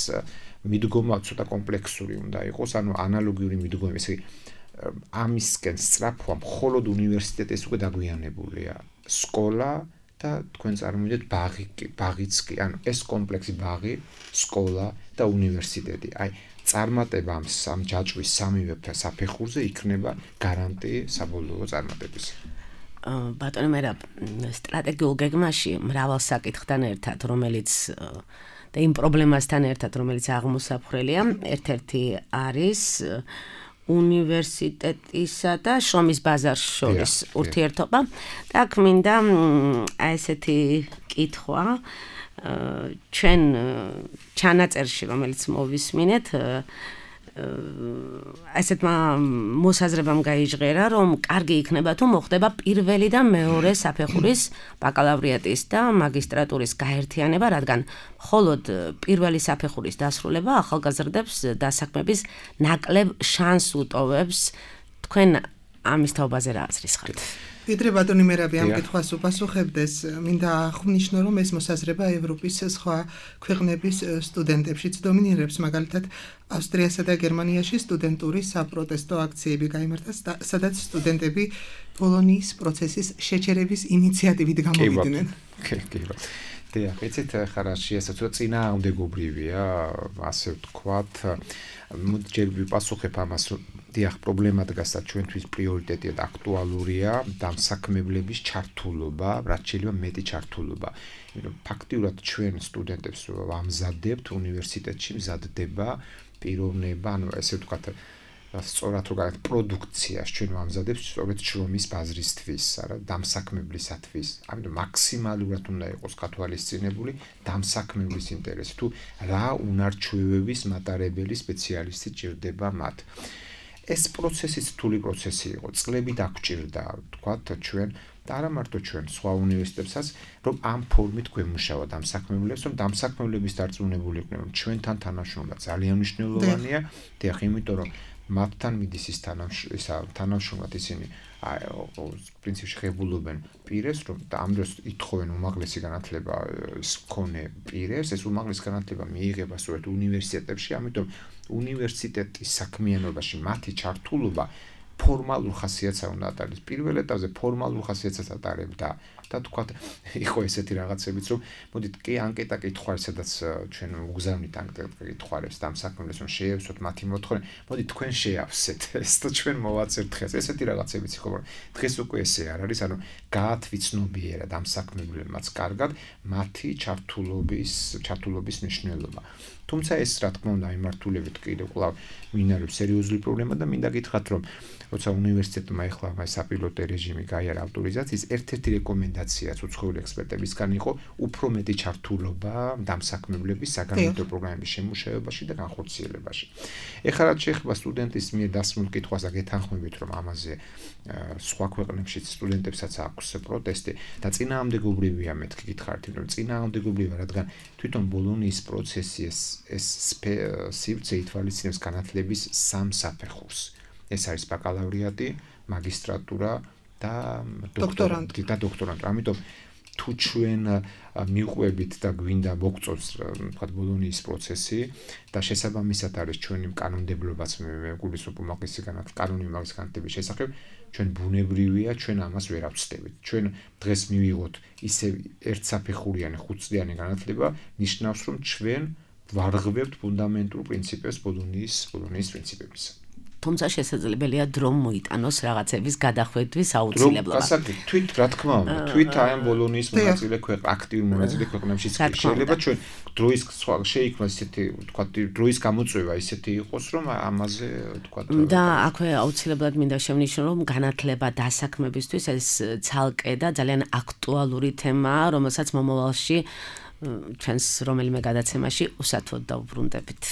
მიდგომა ცოტა კომპლექსური უნდა იყოს, ანუ ანალოგიური მიდგომა, ესე იგი ამისკენ სწრაფვა მხოლოდ უნივერსიტეტის უკვე დაგვიანებულია. სკოლა და თქვენ წარმოვიდგინეთ ბაღიც კი, ანუ ეს კომპლექსი ბაღი, სკოლა და უნივერსიტეტი. აი, წარმატება ამ ჯაჭვის სამივე საფეხურზე იქნება გარანტი საბოლოო წარმატების. ბატონო მერაბ, სტრატეგიულ გეგმაში მრავალ საკითხთან ერთად, რომელიც და იმ პრობლემასთან ერთად, რომელიც აღმოსაფხრელია, ერთ-ერთი არის უნივერსიტეტისა და შრომის ბაზარს შორის ურთიერთობა. და აქ მინდა ესეთი კითხვა, ჩვენ ჩანაწერში, რომელიც მოვისმინეთ, ასეთმა მოსაზრებამ გაიჟღერა, რომ კარგი იქნება თუ მოხდება პირველი და მეორე საფეხურის ბაკალავრიატის და მაგისტრატურის გაერთიანება, რადგან მხოლოდ პირველი საფეხურის დასრულება ახალგაზრდებს დასაქმების ნაკლებ შანსს უტოვებს. თქვენ ამის თაობაზე რა აზრის ხართ? ვიდრე ბატონი მერაბი ამ კითხვას უპასუხებდეს, მინდა აღვნიშნო, რომ ეს მოსაზრება ევროპის სხვა ქვეყნების სტუდენტებშიც დომინირებს, მაგალითად ავსტრიასა და გერმანიაში სტუდენტური საპროტესტო აქციები გაიმართა, სადაც სტუდენტები ბოლონიის პროცესის შეჩერების ინიციატივით გამოვიდნენ. დიახ, იცით, ხარაში ეს ცოტა წინააღმდეგობრივია, ასე ვთქვათ, ჯერ ვიპასუხებ ამას, რომ დიახ, პრობლემა დგას და ჩვენთვის პრიორიტეტია და აქტუალურია დამსაქმებლების ჩართულობა, რაც შეიძლება მეტი ჩართულობა. იმიტომ ფაქტიურად ჩვენ სტუდენტებს ვამზადებთ უნივერსიტეტში მზადდება პიროვნება, ანუ ესე ვთქვათ, სწორად რო გაგეთ პროდუქციას ჩვენ ვამზადებთ სწორედ შრომის ბაზრისთვის, არა, დამსაქმებლისათვის. ამიტომ მაქსიმალურად უნდა იყოს გათვალისწინებული დამსაქმებლის ინტერესი, თუ რა უნარჩვევების მატარებელი სპეციალისტი ჭირდება მათ. ეს პროცესი რთული პროცესი იყო, წლები დაგვჭირდა, ვთქვათ, ჩვენ და არა მარტო ჩვენ, სხვა უნივერსიტეტებსაც, რომ ამ ფორმით გვემუშავა დამსაქმებლებს, რომ დამსაქმებლების დარწმუნებული იყვნენ, ჩვენთან თანამშრომლობა ძალიან მნიშვნელოვანია, დიახ, იმიტომ რომ მათთან მიდის ის თანამშრომლად ისინი პრინციპში ღებულობენ პირებს, რომ და ამ დროს ითხოვენ უმაღლესი განათლება მქონე პირებს, ეს უმაღლესი განათლება მიიღება სწორედ უნივერსიტეტებში, ამიტომ უნივერსიტეტის საქმიანობაში მათი ჩართულობა ფორმალურ ხასიათს უნდა ატარდეს. პირველ ეტაპზე ფორმალურ ხასიათს ატარებდა და თქვათ, იყო ესეთი რაღაცებიც, რომ მოდით კი ანკეტა კითხვა, სადაც ჩვენ უგზავნით ანკეტა კითხვებს დამსაქმებლებს, რომ შეევსოთ მათი მოთხოვნა, მოდით თქვენ შეავსეთ ეს და ჩვენ მოვაწერთ დღეს. ესეთი რაღაცებიც იყო, რომ დღეს უკვე ესე არ არის, ანუ გაათვიცნობიერა დამსაქმებლებმაც კარგად მათი ჩართულობის მნიშვნელობა. თუმცა ეს რა თქმა უნდა იმართულებით კიდევ კვლავ მინარევს სერიოზული პრობლემა და მინდა გითხრათ, რომ როცა უნივერსიტეტმა ეხლა საპილოტო რეჟიმი გაიარა ავტორიზაციის, ერთ-ერთი რეკომენდაციაც უცხოელი ექსპერტებისგან იყო უფრო მეტი ჩართულობა დამსაქმებლების საგანმანათლებლო პროგრამების შემუშავებაში და განხორციელებაში. ეხლა რაც შეეხება სტუდენტის მიერ დასმულ კითხვას და გეთანხმებით, რომ ამაზე სხვა ქვეყნებშიც სტუდენტებსაც აქვს პროტესტი და წინააღმდეგობრივია მეთქი გითხარით, რომ წინააღმდეგობრივია, რადგან თვითონ ბოლონიის პროცესი ეს სივრცე ითვალისწინებს განათლების სამ საფეხურს. ეს არის ბაკალავრიატი, მაგისტრატურა და დოქტორანტურა. ამიტომ თუ ჩვენ მიყვებით და გვინდა მოგწონს, თქვათ, ბოლონიის პროცესი და შესაბამისად არის ჩვენი კანონმდებლობაც მე გულისხმობ უმაღლესი კანონი უმაღლესი განათლების შესახებ, ჩვენ ბუნებრივია, ჩვენ ამას ვერ ავწდებით. ჩვენ დღეს მივიღოთ ისე ერთსაფეხურიანი, ხუთწლიანი განათლება, ნიშნავს, რომ ჩვენ ვარღვევთ ფუნდამენტურ პრინციპებს ბოლონიის პრინციპებისა. თუმცა შესაძლებელია დრო მოიტანოს რაღაცების გადახვედრის აუცილებლობა. თვით რა თქმა უნდა, თვით აი ამ ბოლონიის მონაწილე აქტიურ მონაწილე ქვეყნებშიც შეიძლება ჩვენ დროის შეიქმნას ისეთი, თქვა, დროის გამოწვევა ისეთი იყოს, რომ ამაზე, თქვა, და აქვე აუცილებლად მინდა შევნიშნო, რომ განათლება დასაქმებისთვის ეს ცალკე და ძალიან აქტუალური თემაა, რომელსაც მომავალში ჩვენს რომელიმე გადაცემაში უსათოდ დაუბრუნდებით.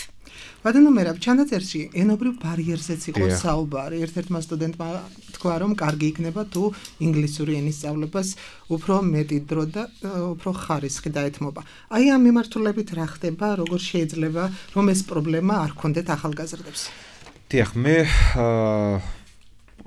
ბატონო მერაბ, ჩანაწერში ენობრივ ბარიერზეც იყო საუბარი. ერთ-ერთმა სტუდენტმა თქვა, რომ კარგი იქნება თუ ინგლისური ენის სწავლებას უფრო მეტი დრო და უფრო ხარისხი დაეთმობა. აი ამ მიმართულებით რა ხდება, როგორ შეიძლება რომ ეს პრობლემა არ ქონდეთ ახალგაზრდებს? დიახ, მე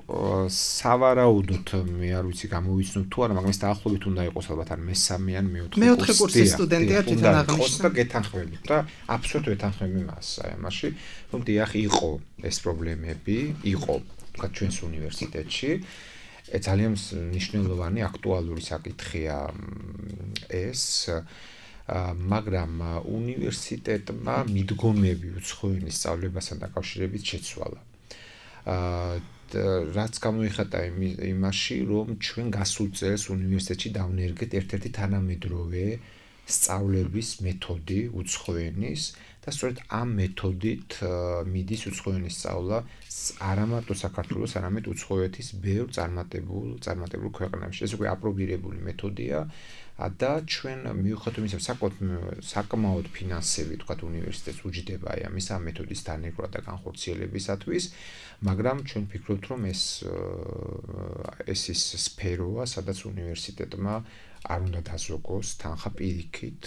სავარაუდოდ მე არ ვიცი გამოვიცნობ თუ არა, მაგრამ ეს დაახლოებით უნდა იყოს ალბათ ან მესამე ან მეოთხე კურსის სტუდენტია თვითონ აღნიშნავს და გეთანხმებით და აბსოლუტურად ვეთანხმები მას აი ამაში, რომ დიახ იყო ეს პრობლემები, იყო თქვა ჩვენს უნივერსიტეტში. ძალიან მნიშვნელოვანი აქტუალური საკითხია ეს მაგრამ უნივერსიტეტმა მიდგომები უცხოენის სწავლებასთან დაკავშირებით შეცვალა. რაც გამოიხატა იმაში, რომ ჩვენ გასულ წელს უნივერსიტეტში დავნერგეთ ერთ-ერთი თანამედროვე სწავლების მეთოდი უცხოენის და სწორედ ამ მეთოდით მიდის უცხოენის სწავლა არა მარტო საქართველოს, არამედ უცხოეთის ბევრ წარმატებულ ქვეყნებში. ეს უკვე აპრობირებული მეთოდია და ჩვენ მიუხედავად იმისა, საკმაოდ ფინანსები თქვათ უნივერსიტეტს უჯდება ამის ამ მეთოდის დანერგვა და განხორციელებისათვის, მაგრამ ჩვენ ვფიქრობთ, რომ ეს ის სფეროა, სადაც უნივერსიტეტმა არ უნდა დაზოგოს თანხა პირიქით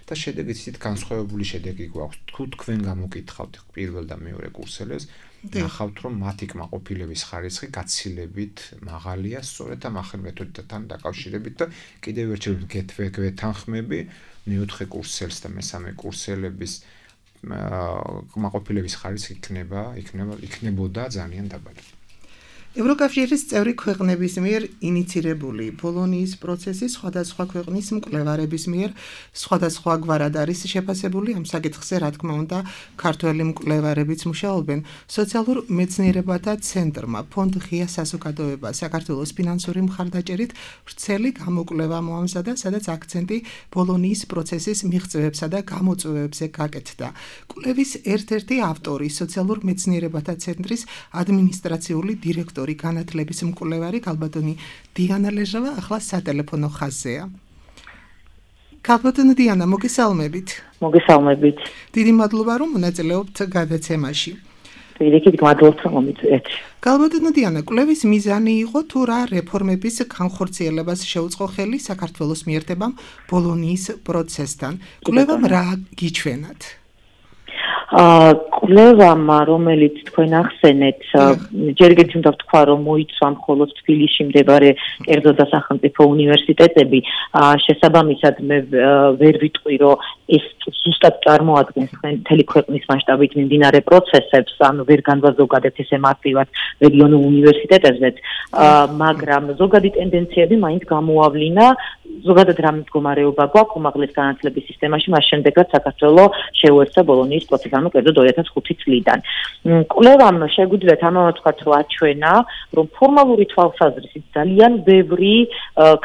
და შედეგიც ისეთ განსხვავებული შედეგი გვაქვს. თუ თქვენ გამოკითხავთ პირველ და მეორე კურსელებს, ნახავთ, რომ მათი კმაყოფილების ხარისხი გაცილებით მაღალია სწორედ ამ ახალ მეთოდთან დაკავშირებით და კიდევ ერთხელ გეთანხმები მეოთხე კურსელს და მესამე კურსელების კმაყოფილების ხარისხი იქნებოდა ძალიან დაბალი. ევროკავშირის წევრი ქვეყნების მიერ ინიცირებული ბოლონიის პროცესი სხვადასხვა ქვეყნის მკვლევარების მიერ სხვადასხვაგვარად არის შეფასებული. ამ საკითხზე, რა თქმა უნდა, ქართველი მკვლევარებიც მუშაობენ. სოციალურ მეცნიერებათა ცენტრმა ფონდ ღია საზოგადოება საქართველოს ფინანსური მხარდაჭერით ვრცელი გამოკვლევა მოამზადა, სადაც აქცენტი ბოლონიის პროცესის მიღწევებსა და გამოწვევებზე გაკეთდა. კვლევის ერთ-ერთი ავტორი, სოციალურ მეცნიერებათა ცენტრის ადმინისტრაციული დირექტორი განათლების მკვლევარი ქალბატონი დიანა ლეჟავა ახლა სატელეფონო ხაზზეა. ქალბატონი დიანა, მოგესალმებით. მოგესალმებით. დიდი მადლობა, რომ მონაწილეობთ გადაცემაში. დიდი მადლობა, რომ მომიწვიეთ. ქალბატონი დიანა, კვლევის მიზანი იყო თუ რა რეფორმების განხორციელებას შეუწყო ხელი საქართველოს მიერთებამ ბოლონიის პროცესთან. კვლევამ რა გიჩვენათ? კვლევამ, რომელიც თქვენ ახსენეთ, ჯერ კიდევ უნდა ვთქვა, რომ მოიცვა მხოლოდ თბილისში მდებარე კერძო და სახელმწიფო უნივერსიტეტები. შესაბამისად, მე ვერ ვიტყვი, რომ ეს ზუსტად წარმოადგენს მთელი ქვეყნის მასშტაბით მიმდინარე პროცესებს, ანუ ვერ განვაზოგადეთ ესე მარტივად რეგიონულ უნივერსიტეტებზეც, მაგრამ ზოგადი ტენდენციები მაინც გამოავლინა, ზოგადად რა მდგომარეობა გვაქვს უმაღლეს განათლების სისტემაში, მას შემდეგაც საქართველოს შეუერთდა ბოლონიის პროცესი, ანუ კერძოდ 2005 წლიდან. კვლევამ შეგვიძლიათ ამავე ვთქვათ, რომ აჩვენა, რომ ფორმალური თვალსაზრისით ძალიან ბევრი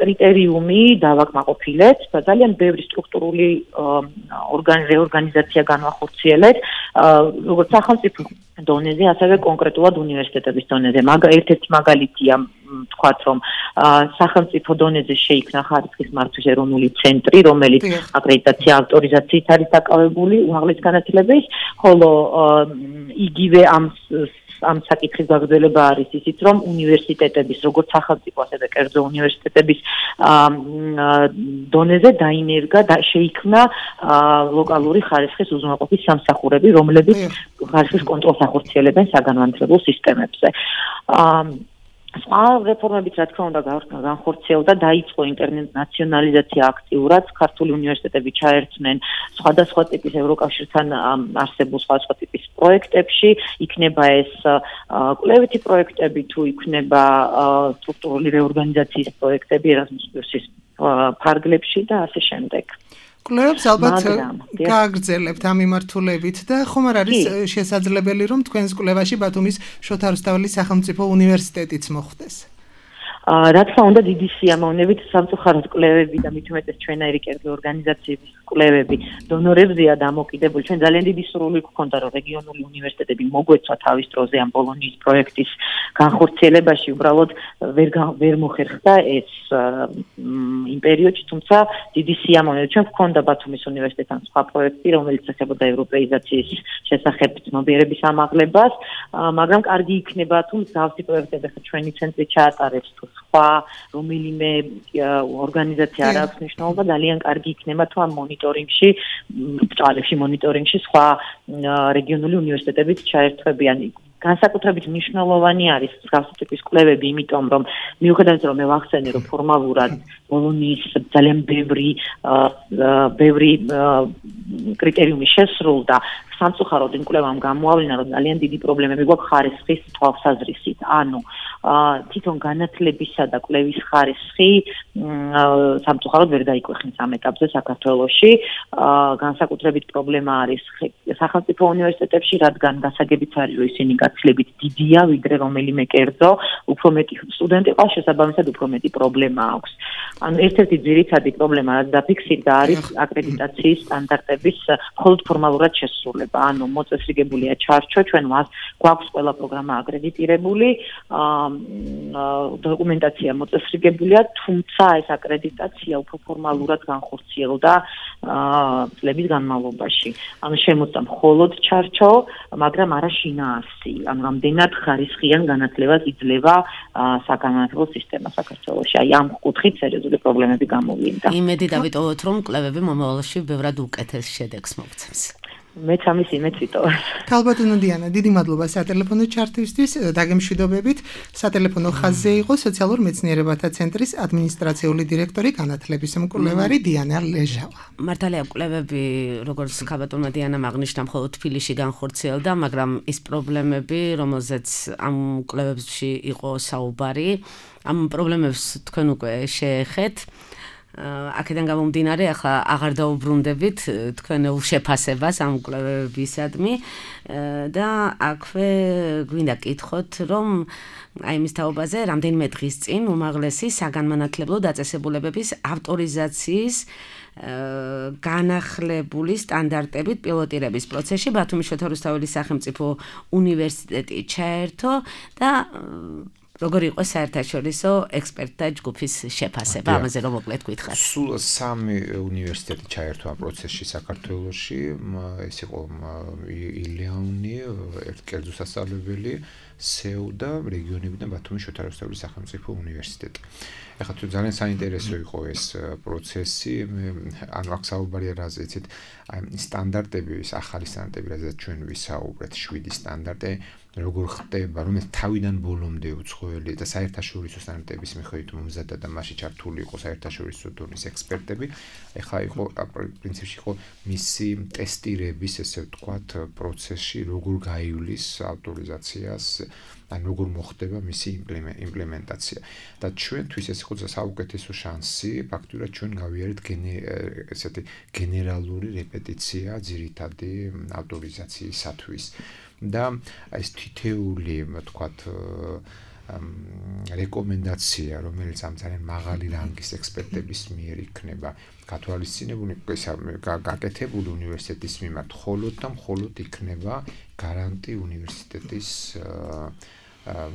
კრიტერიუმი დავაკმაყოფილეთ და ძალიან ბევრი სტრუქტურული რეორგანიზაცია განვახორციელეთ, როგორც სახელმწიფო დონეზე, ასევე კონკრეტულად უნივერსიტეტების დონეზე. ერთ-ერთი მაგალითია ვთქვათ, რომ სახელმწიფო დონეზე შეიქმნა ხარისხის მართვის ეროვნული ცენტრი, რომელიც აკრედიტაცია ავტორიზაციით არის დაკავებული უმაღლეს განათლების, ხოლო იგივე ამ საკითხის გაგრძელება არის ისიც, რომ უნივერსიტეტების, როგორც სახელმწიფო, ასევე კერძო უნივერსიტეტების დონეზე დაინერგა და შეიქმნა ლოკალური ხარისხის უზრუნველყოფის სამსახურები, რომლებიც ხარისხის კონტროლს ახორციელებენ საგანმანათლებლო სისტემებზე. სხვა რეფორმებიც, რა თქმა უნდა, განხორციელდა, დაიწყო ინტერნაციონალიზაცია აქტიურად, ქართული უნივერსიტეტები ჩაერთნენ სხვადასხვა ტიპის ევროკავშირთან არსებულ სხვადასხვა ტიპის პროექტებში, იქნება ეს კვლევითი პროექტები, თუ იქნება სტრუქტურული რეორგანიზაციის პროექტები ერასმუს ფარგლებში და ასე შემდეგ. კვლევებს ალბათ გააგრძელებთ ამ მიმართულებით და ხომ არ არის შესაძლებელი, რომ თქვენს კვლევაში ბათუმის შოთა რუსთაველის სახელმწიფო უნივერსიტეტიც მოხვდეს? რა თქმა უნდა, დიდი სიამოვნებით სამწუხაროდ კვლევები და მით უმეტეს ჩვენაირი კერძო ორგანიზაციების კვლევები დონორებზეა დამოკიდებული. ჩვენ ძალიან დიდი სურვილი გვქონდა, რომ რეგიონული უნივერსიტეტები მოგვეცვა თავის დროზე ამ ბოლონიის პროექტის განხორციელებაში, უბრალოდ ვერ მოხერხდა ეს იმ პერიოდში, თუმცა დიდი სიამოვნებით ჩვენ გვქონდა ბათუმის უნივერსიტეტთან სხვა პროექტი, რომელიც ეხებოდა ევროპეიზაციის შესახებ ცნობიერების ამაღლებას, მაგრამ კარგი იქნება თუ მსგავსი პროექტები ხა ჩვენი ცენტრი ჩაატარებს თუ სხვა რომელიმე ორგანიზაცია არ აქვს მნიშვნელობა, ძალიან კარგი იქნება თუ ამ მონიტორინგში, ბჭყალებში მონიტორინგში სხვა რეგიონული უნივერსიტეტებიც ჩაერთვებიან. განსაკუთრებით მნიშვნელოვანი არის მსგავსი ტიპის კვლევები, იმიტომ რომ მიუხედავად რომ მე ვახსენე რომ ფორმალურად ბოლონიის ძალიან ბევრი კრიტერიუმი შესრულდა, სამწუხაროდ იმ კვლევამ გამოავლინა, რომ ძალიან დიდი პრობლემები გვაქვს ხარისხის თვალსაზრისით. ანუ თვითონ განათლებისა და კვლევის ხარისხი სამწუხაროდ ვერ დაიქვეხნეს ამ ეტაპზე საქართველოში. განსაკუთრებით პრობლემა არის სახელმწიფო უნივერსიტეტებში, რადგან გასაგებიც არის, რომ ისინი გაცილებით დიდია, ვიდრე რომელიმე კერძო, უფრო მეტი სტუდენტი ყავს, შესაბამისად უფრო მეტი პრობლემა აქვს. ანუ ერთ-ერთი ძირითადი პრობლემა, რაც დაფიქსირდა, არის აკრედიტაციის სტანდარტების მხოლოდ ფორმალურად შესრულება. ანუ მოწესრიგებულია ჩარჩო, ჩვენ გვაქვს ყველა პროგრამა აკრედიტირებული, დოკუმენტაცია მოწესრიგებულია, თუმცა ეს აკრედიტაცია უფრო ფორმალურად განხორციელდა წლების განმავლობაში. ანუ შემოწა მხოლოდ ჩარჩო, მაგრამ არა შინაარსი. ანუ რამდენად ხარისხიან განათლებას იძლევა საგანმანათლებლო სისტემა საქართველოში. აი ამ კუთხით სერიოზული პრობლემები გამოვლინდა. იმედი დავიტოვოთ, რომ კვლევები მომავალში ბევრად უკეთეს შედეგს მოგცემს. მეც ამის იმედს ვიტოვებ. ქალბატონო დიანა, დიდი მადლობა სატელეფონო ჩართვისთვის. დაგემშვიდობებით. სატელეფონო ხაზზე იყო სოციალურ მეცნიერებათა ცენტრის ადმინისტრაციული დირექტორი, განათლების მკვლევარი დიანა ლეჟავა. მართალია კვლევები, როგორც ქალბატონმა დიანამ აღნიშნა, მხოლოდ თბილისში განხორციელდა, მაგრამ ის პრობლემები, რომელზეც ამ კვლევებში იყო საუბარი, ამ პრობლემებს თქვენ უკვე შეეხეთ. აქედან გამომდინარე, ახლა აღარ დაუბრუნდებით თქვენეულ შეფასებას ამ კვლევებისადმი და აქვე გვინდა კითხოთ, რომ აი მის თაობაზე რამდენიმე დღის წინ უმაღლესი საგანმანათლებლო დაწესებულებების ავტორიზაციის განახლებული სტანდარტებით პილოტირების პროცესში ბათუმის შოთა რუსთაველის სახელმწიფო უნივერსიტეტი ჩაერთო და როგორი იყო საერთაშორისო ექსპერტთა ჯგუფის შეფასება, ამაზე რომ მოკლედ გითხრათ. სულ 3 უნივერსიტეტი ჩაერთო ამ პროცესში საქართველოში, ეს იყო ილეონი, კერძო სასწავლებელი, სეუ და რეგიონებიდან ბათუმის შოთა რუსთაველის სახელმწიფო უნივერსიტეტი. ეხლა თუ ძალიან საინტერესო იყო ეს პროცესი, ანუ აქ საუბარია რაზე, იცით, აი სტანდარტები, ეს ახალი სტანდარტები, რაზეც ჩვენ ვისაუბრეთ, 7 სტანდარტი, როგორ ხდება, რომელიც თავიდან ბოლომდე უცხოელი და საერთაშორისო სტანდარტების მიხედვით მომზადდა და მასში ჩართული იყო საერთაშორისო დონის ექსპერტები. ეხლა იყო პრინციპში იყო მისი ტესტირების, ესე ვთქვათ, პროცესში, როგორ გაივლის ავტორიზაციას, ან როგორ მოხდება მისი იმპლემენტაცია. და ჩვენთვის ეს იყო საუკეთესო შანსი, ფაქტურად ჩვენ გავიარეთ ესეთი გენერალური რეპეტიცია ძირითადი ავტორიზაციისათვის. და ეს თითეული, ვთქვათ, რეკომენდაცია, რომელიც ამ ძალიან მაღალი რანგის ექსპერტების მიერ იქნება გათვალისწინებული, გაკეთებული უნივერსიტეტის მიმართ, მხოლოდ და მხოლოდ იქნება გარანტი უნივერსიტეტის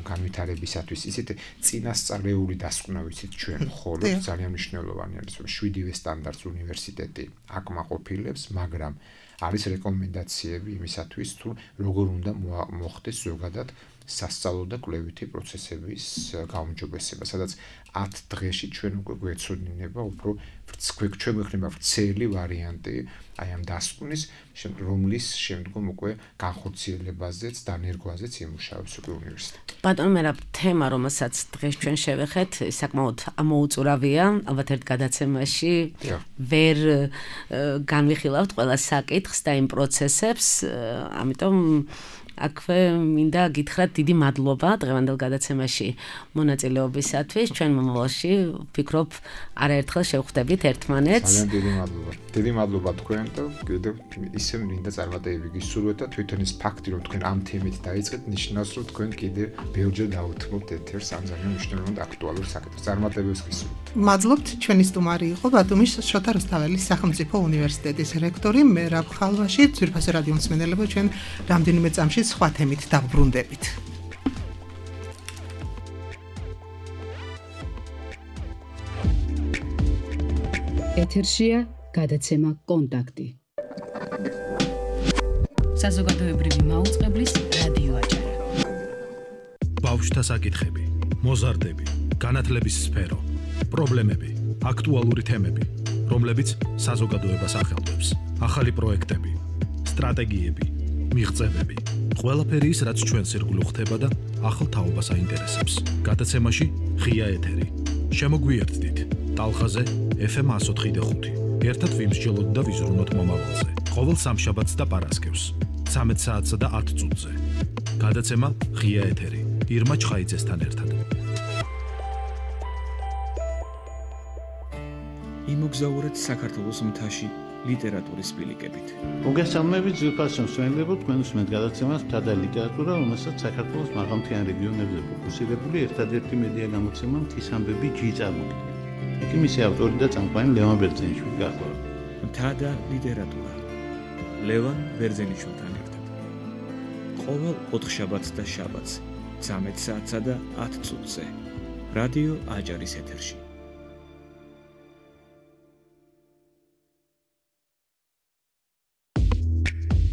განვითარებისათვის. ისეთ წინასწარეული დასკვნა ვიცით ჩვენ მხოლოდ ძალიან მნიშვნელოვანი არის, რომ 7-ვე სტანდარტს უნივერსიტეტი აკმაყოფილებს, მაგრამ არის რეკომენდაციები იმისათვის, თუ როგორ უნდა მოხდეს ზოგადად სასწავლო და კვლევითი პროცესების გაუმჯობესება, სადაც 10 დღეში ჩვენ უკვე გვეცოდინება უფრო ჩვენ გვექნება ვრცელი ვარიანტი აი ამ დასკვნის, რომლის შემდგომ უკვე განხორციელებაზეც, დანერგვაზეც იმუშავებს უკვე უნივერსიტეტი. ბატონო, მე რა თემა, რომელსაც დღეს ჩვენ შევეხეთ, საკმაოდ ამოუწურავია, ალბათ ერთ გადაცემაში ვერ განვიხილავთ ყველა საკითხს და იმ პროცესებს, ამიტომ აქვე მინდა გითხრათ დიდი მადლობა დღევანდელ გადაცემაში მონაწილეობისათვის. ჩვენ მომავალში ვფიქრობ არაერთხელ შევხვდებით ერთმანეთს. ძალიან დიდი მადლობა. დიდი მადლობა თქვენ და კიდევ ისე მინდა წარმატებები გისურვოთ და თვითონ ის ფაქტი რომ თქვენ ამ თემით დაიწყეთ ნიშნავს რომ თქვენ კიდევ ბევრჯერ დაუთმობთ ეთერს ამ ძალიან მნიშვნელოვან და აქტუალურ საკითხს. წარმატებებს გისურვებთ. მადლობთ. ჩვენი სტუმარი იყო ბათუმის შოთა რუსთაველის სახელმწიფო უნივერსიტეტის რექტორი მერაბ ხალვაში. ძვირფასო რადიო მსმენელებო, ჩვენ რამდენიმე წამში სხვა თემით დავბრუნდებით. ეთერშია გადაცემა კონტაქტი. საზოგადოებრივი მაუწყებლის რადიო აჭარა. ბავშვთა საკითხები, მოზარდები, განათლების სფერო, პრობლემები, აქტუალური თემები, რომლებიც საზოგადოებას ახელვებს. ახალი პროექტები, სტრატეგიები, მიღწევები. ყველაფერი ის, რაც ჩვენს ირგვლივ ხდება და ახალ თაობას აინტერესებს. გადაცემაში ღია ეთერი. შემოგვიერთდით ტალღაზე FM 104.5. ერთად ვიმსჯელოთ და ვიზრუნოთ მომავალზე. ყოველ სამშაბათს და პარასკევს 13 საათსა და 10 წუთზე. გადაცემა ღია ეთერი. ირმა ჩხაიძესთან ერთად. იმოგზაურეთ საქართველოს მთაში ლიტერატურის ბილიკებით. მოგესალმებით ძვირფასო მსმენელებო, თქვენ უსმენთ გადაცემას მთა და ლიტერატურა, რომელსაც საქართველოს მაღალმთიან რეგიონებზე ფოკუსირებული ერთადერთი მედია გამოცემა მთის ამბები ჯი წარმოგიდგენთ. იქ მისი ავტორი და წამყვანი ლევან ბერძენიშვილი გახლავთ. მთა და ლიტერატურა. ლევან ბერძენიშვილთან ერთად. ყოველ ოთხშაბათს და შაბათს 13 საათსა და 10 წუთზე. რადიო აჭარის ეთერში.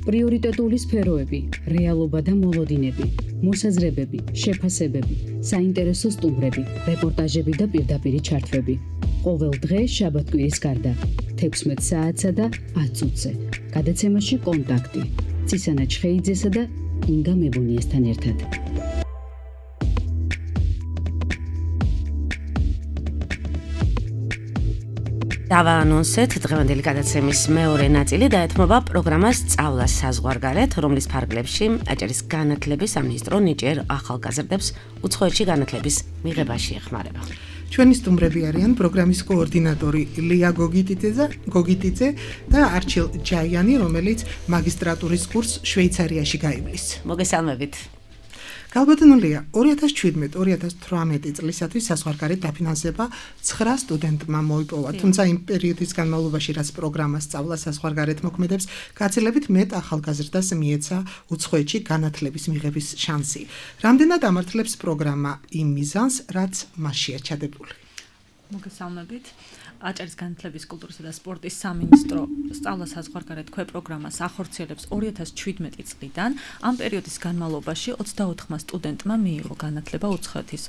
პრიორიტეტული სფეროები, რეალობა და მოლოდინები, მოსაზრებები, შეფასებები, საინტერესო სტუმრები, რეპორტაჟები და პირდაპირი ჩართვები. ყოველ დღე შაბათ-კვირის გარდა 16 საათსა და 10 წუთზე. გადაცემაში კონტაქტი. ცისანა ჩხეიძესა და ინგა მებუნიესთან ერთად. დავაანონსეთ დღევანდელი გადაცემის მეორე ნაწილი დაეთმობა პროგრამას სწავლა საზღვარგარეთ, რომლის ფარგლებში აჭარის განათლების სამინისტრო ნიჭიერ ახალგაზრდებს უცხოეთში განათლების მიღებაში ეხმარება. ჩვენი სტუმრები არიან პროგრამის კოორდინატორი ლია გოგიტიძე და არჩილ ჯაიანი, რომელიც მაგისტრატურის კურსს შვეიცარიაში გაივლის. მოგესალმებით. გალბატონულია 2017-2018 წლისათვის საზღვარგარეთ დაფინანსება 9 სტუდენტმა მოიპოვა, თუმცა იმ პერიოდის განმავლობაში, რაც პროგრამა სწავლა საზღვარგარეთ მოქმედებს, გაცილებით მეტ ახალგაზრდას მიეცა უცხოეთში განათლების მიღების შანსი. რამდენად ამართლებს პროგრამა იმ მიზანს, რაც მასშია ჩადებული? მოგესალმებით. აჭარის განათლების, კულტურისა და სპორტის სამინისტრო სწავლა საზღვარგარეთ პროგრამას ახორციელებს 2017 წლიდან. ამ პერიოდის განმავლობაში 24 სტუდენტმა მიიღო განათლება უცხოეთის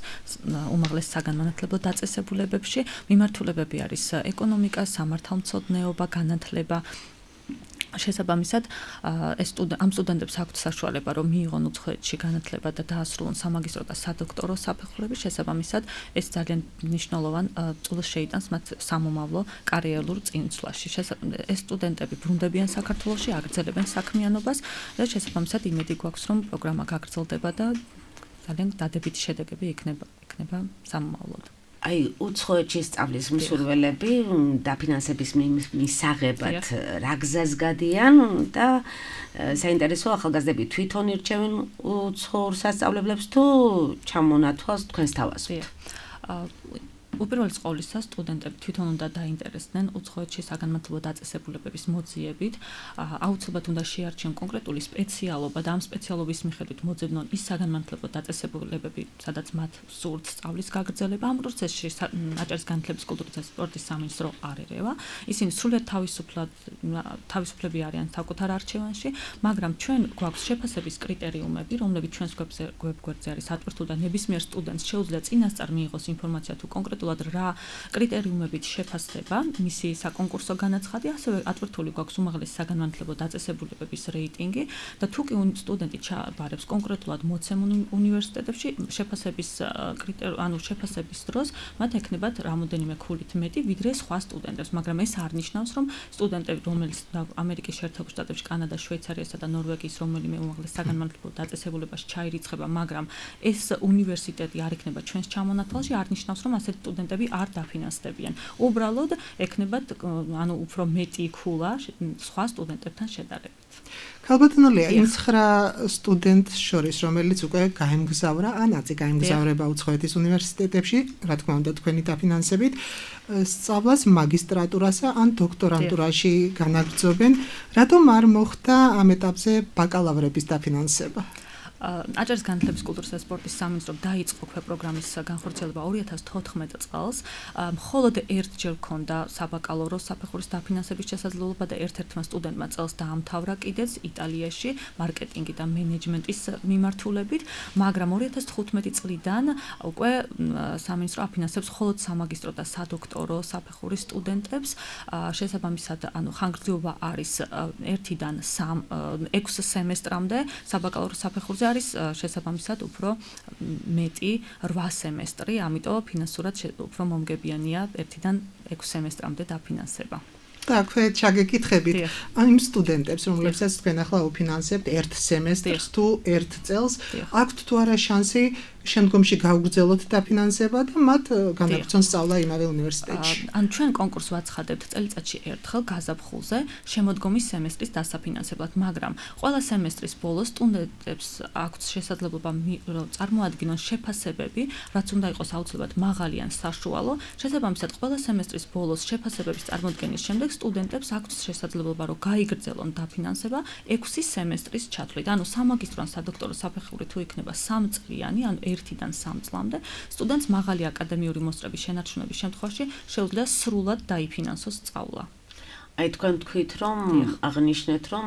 უმაღლეს საგანმანათლებლო დაწესებულებებში. მიმართულებები არის ეკონომიკა, სამართალმცოდნეობა, განათლება. შესაბამისად, ამ სტუდენტებს აქვთ საშუალება, რომ მიიღონ უცხოეთში განათლება და დაასრულონ სამაგისტრო და სადოქტორო საფეხურები. შესაბამისად, ეს ძალიან მნიშვნელოვან წვლილს შეიტანს მათ სამომავლო კარიერულ წინსვლაში. ეს სტუდენტები ბრუნდებიან საქართველოში, აგრძელებენ საქმიანობას და შესაბამისად იმედი გვაქვს, რომ პროგრამა გაგრძელდება და ძალიან დადებითი შედეგები იქნება სამომავლოდ. აი, უცხოეთში სწავლის მსურველები დაფინანსების მისაღებად რა გზას გადიან და საინტერესო ახალგაზრდები თვითონ ირჩევენ უცხოურ სასწავლებლებს თუ ჩამონათვალს თქვენს თავაზით? უპირველეს ყოვლისა, სტუდენტები თვითონ უნდა დაინტერესდნენ უცხოეთში საგანმანათლებლო დაწესებულებების მოძიებით. აუცილებლად უნდა შეარჩიონ კონკრეტული სპეციალობა და ამ სპეციალობის მიხედვით მოძებნონ ის საგანმანათლებლო დაწესებულებები, სადაც მათ სურთ სწავლის გაგრძელება. ამ პროცესში აჭარის განათლების, კულტურისა და სპორტის სამინისტრო არ ერევა. ისინი სრულად თავისუფლები არიან საკუთარ არჩევანში, მაგრამ ჩვენ გვაქვს შეფასების კრიტერიუმები, რომლებიც ჩვენს ვებგვერდზე არის ატვირთული და ნებისმიერ სტუდენტს შეუძლია წინასწარ მიიღოს ინფორმაცია თუ კონკრეტულ კონკრეტულად რა კრიტერიუმებით შეფასდება მისი საკონკურსო განაცხადი, ასევე ატვირთული გვაქვს უმაღლესი საგანმანათლებლო დაწესებულებების რეიტინგი და თუ კი სტუდენტი ჩაბარებს კონკრეტულად მოცემულ უნივერსიტეტებში შეფასების შეფასების დროს მათ ექნებათ რამოდენიმე ქულით მეტი ვიდრე სხვა სტუდენტებს, მაგრამ ეს არ ნიშნავს, რომ სტუდენტები, რომელიც ამერიკის შეერთებულ შტატებში, კანადაში, შვეიცარიასა და ნორვეგიის რომელიმე უმაღლეს საგანმანათლებლო დაწესებულებაში ჩაირიცხება, მაგრამ ეს უნივერსიტეტი არ იქნება ჩვენს ჩამონათვალში, არ ნიშნავს, რომ ასეთი სტუდენტები არ დაფინანსდებიან. უბრალოდ ექნებათ უფრო მეტი ქულა სხვა სტუდენტებთან შედარებით. ქალბატონო ლია, იმ 9 სტუდენტს შორის, რომელიც უკვე გაემგზავრა, ანაცი გაემგზავრება უცხოეთის უნივერსიტეტებში, რა თქმა უნდა, თქვენი დაფინანსებით, სწავლას მაგისტრატურასა ან დოქტორანტურაში განაგრძობენ, რატომ არ მოხდა ამ ეტაპზე ბაკალავრების დაფინანსება? აჭარის განათლების კულტურისა და სპორტის სამინისტრომ დაიწყო პროგრამის განხორციელება 2014 წელს. მხოლოდ ერთჯერ ჰქონდა საბაკალავრო საფეხურის დაფინანსების შესაძლებლობა და ერთ-ერთმა სტუდენტმა წელს დაამთავრა კიდეც იტალიაში მარკეტინგი და მენეჯმენტის მიმართულებით, მაგრამ 2015 წლიდან უკვე სამინისტრო აფინანსებს მხოლოდ სამაგისტრო და სადოქტორო საფეხურის სტუდენტებს. შესაბამისად, ხანგრძლივობა არის 1-დან 6 სემესტრამდე, საბაკალავრო საფეხურზე არის შესაბამისად უფრო მეტი 8 სემესტრი, ამიტომ ფინანსურად უფრო მომგებიანია 1-დან 6 სემესტრამდე დაფინანსება. და აქვე ჩაგეკითხებით იმ სტუდენტებს, რომლებსაც თქვენ ახლა უფინანსებთ 1 სემესტრს თუ 1 წელს, აქვთ თუ არა შანსი შემდგომში გაუგრძელოთ დაფინანსება და მათ განაგრძონ სწავლა იმავე უნივერსიტეტში. ჩვენ კონკურსს ვაცხადებთ წელიწადში ერთხელ გაზაფხულზე შემოდგომის სემესტრის დასაფინანსებლად, მაგრამ ყველა სემესტრის ბოლოს სტუდენტებს აქვთ შესაძლებლობა წარმოადგინონ შეფასებები, რაც უნდა იყოს აუცილებლად მაღალი ან საშუალო. შესაბამისად, ყველა სემესტრის ბოლოს შეფასებების წარმოდგენის შემდეგ სტუდენტებს აქვთ შესაძლებლობა, რომ გაიგრძელონ დაფინანსება 6 სემესტრის ჩათვლით. ანუ სამაგისტრო ან სადოქტორო საფეხური თუ იქნება 3 წლიანი, ანუ 1-დან 3 წლამდე, სტუდენტს მაღალი აკადემიური მოსწრების შენარჩუნების შემთხვევაში შეუძლია სრულად დაიფინანსოს სწავლა. აი თქვენ თქვით, რომ აღნიშნეთ, რომ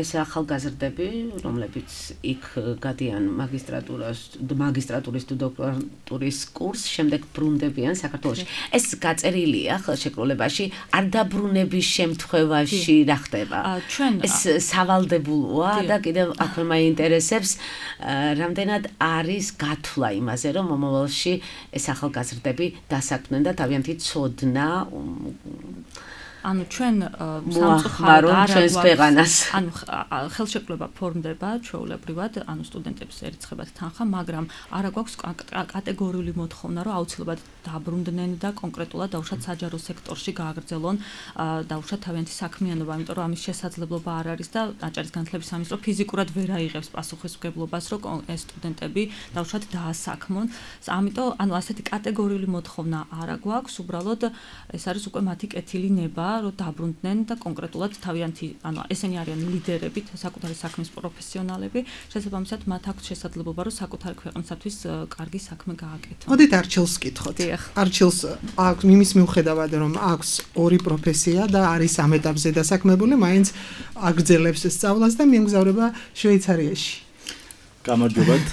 ეს ახალგაზრდები, რომლებიც იქ გადიან მაგისტრატურის თუ დოქტორანტურის კურსს, შემდეგ ბრუნდებიან საქართველოში. ეს გაწერილია ხელშეკრულებაში, არ დაბრუნების შემთხვევაში რა ხდება? ეს სავალდებულოა და კიდევ აქვე მაინტერესებს, რამდენად არის გათვლა იმაზე, რომ მომავალში ეს ახალგაზრდები დასაქმდნენ და თავიანთი ცოდნა ანუ ჩვენ სამწუხაროდ ჩვენს ქვეყანას ანუ ხელშეკრულება ფორმდება ჩვეულებრივად ანუ სტუდენტებს ერიცხებათ თანხა, მაგრამ არა გვაქვს კატეგორიული მოთხოვნა, რომ აუცილებლად დაბრუნდნენ და კონკრეტულად დაუშვათ საჯარო სექტორში გააგრძელონ დაუშვათ თავიანთი საქმიანობა, იმიტომ რომ ამის შესაძლებლობა არ არის და აჭარის განათლების სამინისტრო ფიზიკურად ვერ აიღებს პასუხისმგებლობას, რომ ეს სტუდენტები დაუშვათ დაასაქმონ. ამიტომ ანუ ასეთი კატეგორიული მოთხოვნა არა გვაქვს, უბრალოდ ეს არის უკვე მათი კეთილი ნება, რომ დაბრუნდნენ და კონკრეტულად თავიანთი, ანუ ესენი არიან ლიდერები, საკუთარი საქმის პროფესიონალები, შესაბამისად მათ აქვს შესაძლებლობა, რომ საკუთარი ქვეყნისათვის კარგი საქმე გააკეთონ. მოდით არჩილს ვკითხოთ. არჩილს აქვს იმის მიუხედავად, რომ აქვს 2 პროფესია და არის ამ ეტაპზე დასაქმებული, მაინც აგრძელებს სწავლას და მიემგზავრება შვეიცარიაში. გამარჯობათ.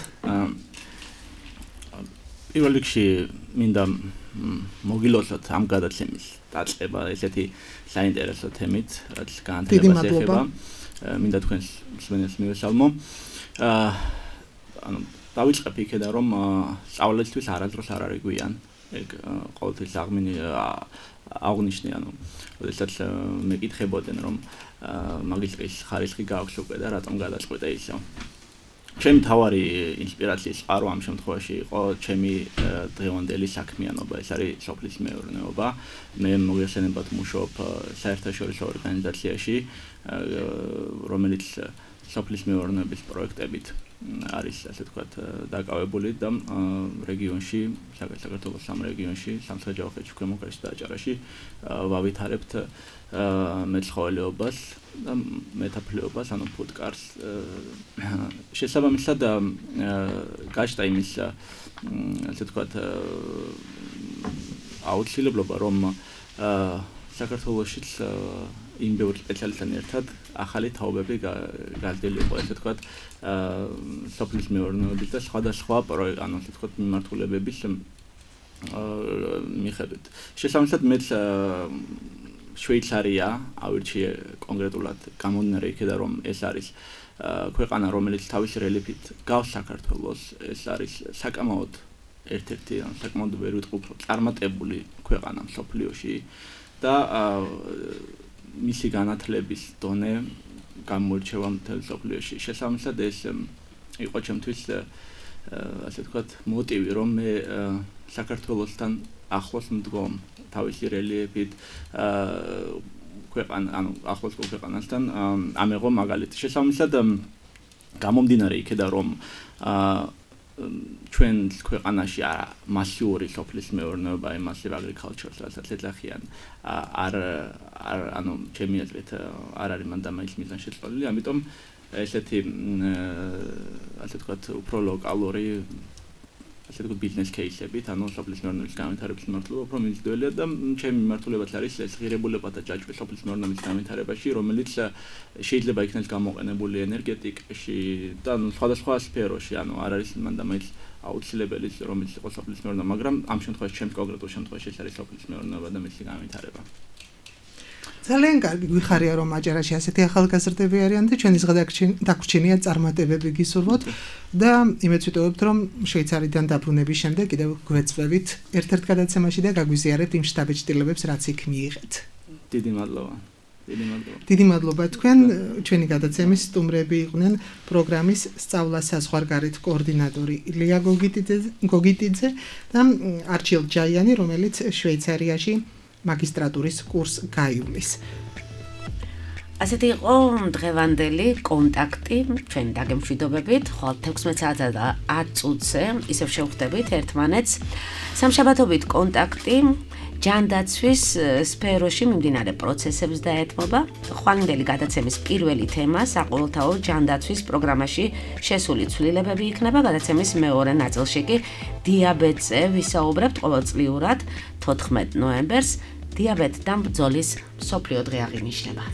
პირველ რიგში მინდა მოგილოცოთ ამ გადაცემის დაწყება ესეთი საინტერესო თემით, რაც განათლებას ეხება. მინდა თქვენს მსმენელს მივესალმო. ანუ დავიწყებ იქედან, რომ სწავლისთვის არასდროს არ არის გვიან. ეგ ყოველთვის აღნიშნე, ანუ როდესაც მეკითხებოდნენ, რომ მაგისტრის ხარისხი გააქვს უკვე და რატომ გადაწყვეტე ისო. ჩემი თავარი ინსპირაციის წყარო ამ შემთხვევაში იყო ჩემი დღევანდელი საქმიანობა, ეს არის სოფლის მეურნეობა. მე მოგეხსენებათ მუშაობ საერთაშორისო ორგანიზაციაში, რომელიც სოფლის მეურნეობის პროექტებით არის, ასე ვთქვათ, დაკავებული და რეგიონში, საქართველოს 3 რეგიონში, სამცხე-ჯავახეთში, ქვემო ქართლში და აჭარაში ვავითარებთ მეცხოველეობას და მეტაფლეობას, ანუ ფუდკარს. შესაბამისად გაჩნდა იმის, ასე ვთქვათ, აუცილებლობა, რომ საქართველოშიც იმ ბევრი სპეციალისტთან ერთად ახალი თაობები გაზრდილიყო, ასე ვთქვათ, სოფლის მეურნეობის და სხვადასხვა პროექტ, ანუ ასე ვთქვათ, მიმართულებების მიხედვით. შესაბამისად მეც შვეიცარია ავირჩიე კონკრეტულად გამომდინარე იქიდან რომ ეს არის ქვეყანა რომელიც თავისი რელიეფით გავს საქართველოს ეს არის საკამაოდ ერთ-ერთი საკმაოდ ვერ ვიტყვი უფრო წარმატებული ქვეყანა მსოფლიოში და მისი განათლების დონე გამოირჩევა მთელ მსოფლიოში. შესაბამისად ეს იყო ჩემთვის ასე ვთქვათ მოტივი რომ მე საქართველოსთან ახლოს მდგომ თავისი რელიეფით ქვეყანა ანუ ახლოს ქვეყანასთან ამეღო მაგალითი. შესაბამისად გამომდინარე იქიდან რომ ჩვენ ქვეყანაში მასიური სოფლის მეურნეობა, massive agriculture, რასაც ეძახიან, ანუ ჩემი აზრით არ არის მანდამაის მიზანშეწონილი, ამიტომ ესეთი ასე ვთქვათ უფრო ლოკალური ასე ვთქვათ ბიზნეს კეისებით, ანუ სოფლის მეურნეობის განვითარების მართლობა უფრო მიმზიდველია და ჩემი მართლებაც არის ეს ღირებულება და ჯაჭვი სოფლის მეურნეობის განვითარებაში, რომელიც შეიძლება იქნას გამოყენებული ენერგეტიკაში და სხვადასხვა სფეროში, ანუ არ არის მანდამაის აუცილებელი რომელიც იყო სოფლის მეურნეობა, მაგრამ ამ შემთხვევაში ჩემს კონკრეტულ შემთხვევაში ეს არის სოფლის მეურნეობა და მისი განვითარება. ძალიან კარგი გვიხარია რომ აჭარაში ასეთი ახალგაზრდები არიან და ჩვენი დაგვრჩენია წარმატებები გისურვოთ და იმეც ვიტყობთ რომ შვეიცარიდან დაბრუნების შემდეგ კიდევ გვეწვევით ერთ-ერთ გადაცემაში და გაგვიზიარებთ იმ შტაბ-ჭრილებებს რაც იქ მიიღეთ. დიდი მადლობა. დიდი მადლობა თქვენ ჩვენი გადაცემის სტუმრები იყვნენ პროგრამის სწავლა საზღვარგარეთ კოორდინატორი ილია გოგიტიძე და არჩილ ჯაიანი რომელიც შვეიცარიაში მაგისტრატურის კურსს გაივლის. ასეთი იყო დღევანდელი კონტაქტი ჩვენ დაგემშვიდობებით, ხვალ 16 საათსა და 10 წუთზე ისევ შევხვდებით ერთმანეთს. სამშაბათობით კონტაქტი ჯანდაცვის სფეროში მიმდინარე პროცესებს დაეთმობა. ხვალინდელი გადაცემის პირველი თემა საყოველთაო ჯანდაცვის პროგრამაში შესული ცვლილებები იქნება. გადაცემის მეორე ნაწილში კი დიაბეტზე ვისაუბრებთ ყოველწლიურად 14 ნოემბერს. დიაბეტი და ბრძოლის მსოფლიო დღე აღინიშნება.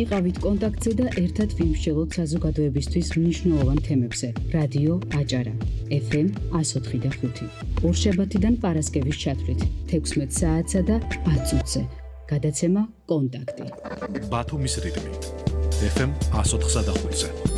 იყავით კონტაქტზე და ერთად ვიმსჯელოთ საზოგადოებისთვის მნიშვნელოვან თემებზე. რადიო აჭარა FM 104.5. ორშაბათიდან პარასკევის ჩათვლით 16 საათსა და 10 წუთზე. გადაცემა კონტაქტი. ბათუმის რიტმი FM 104.5-ზე.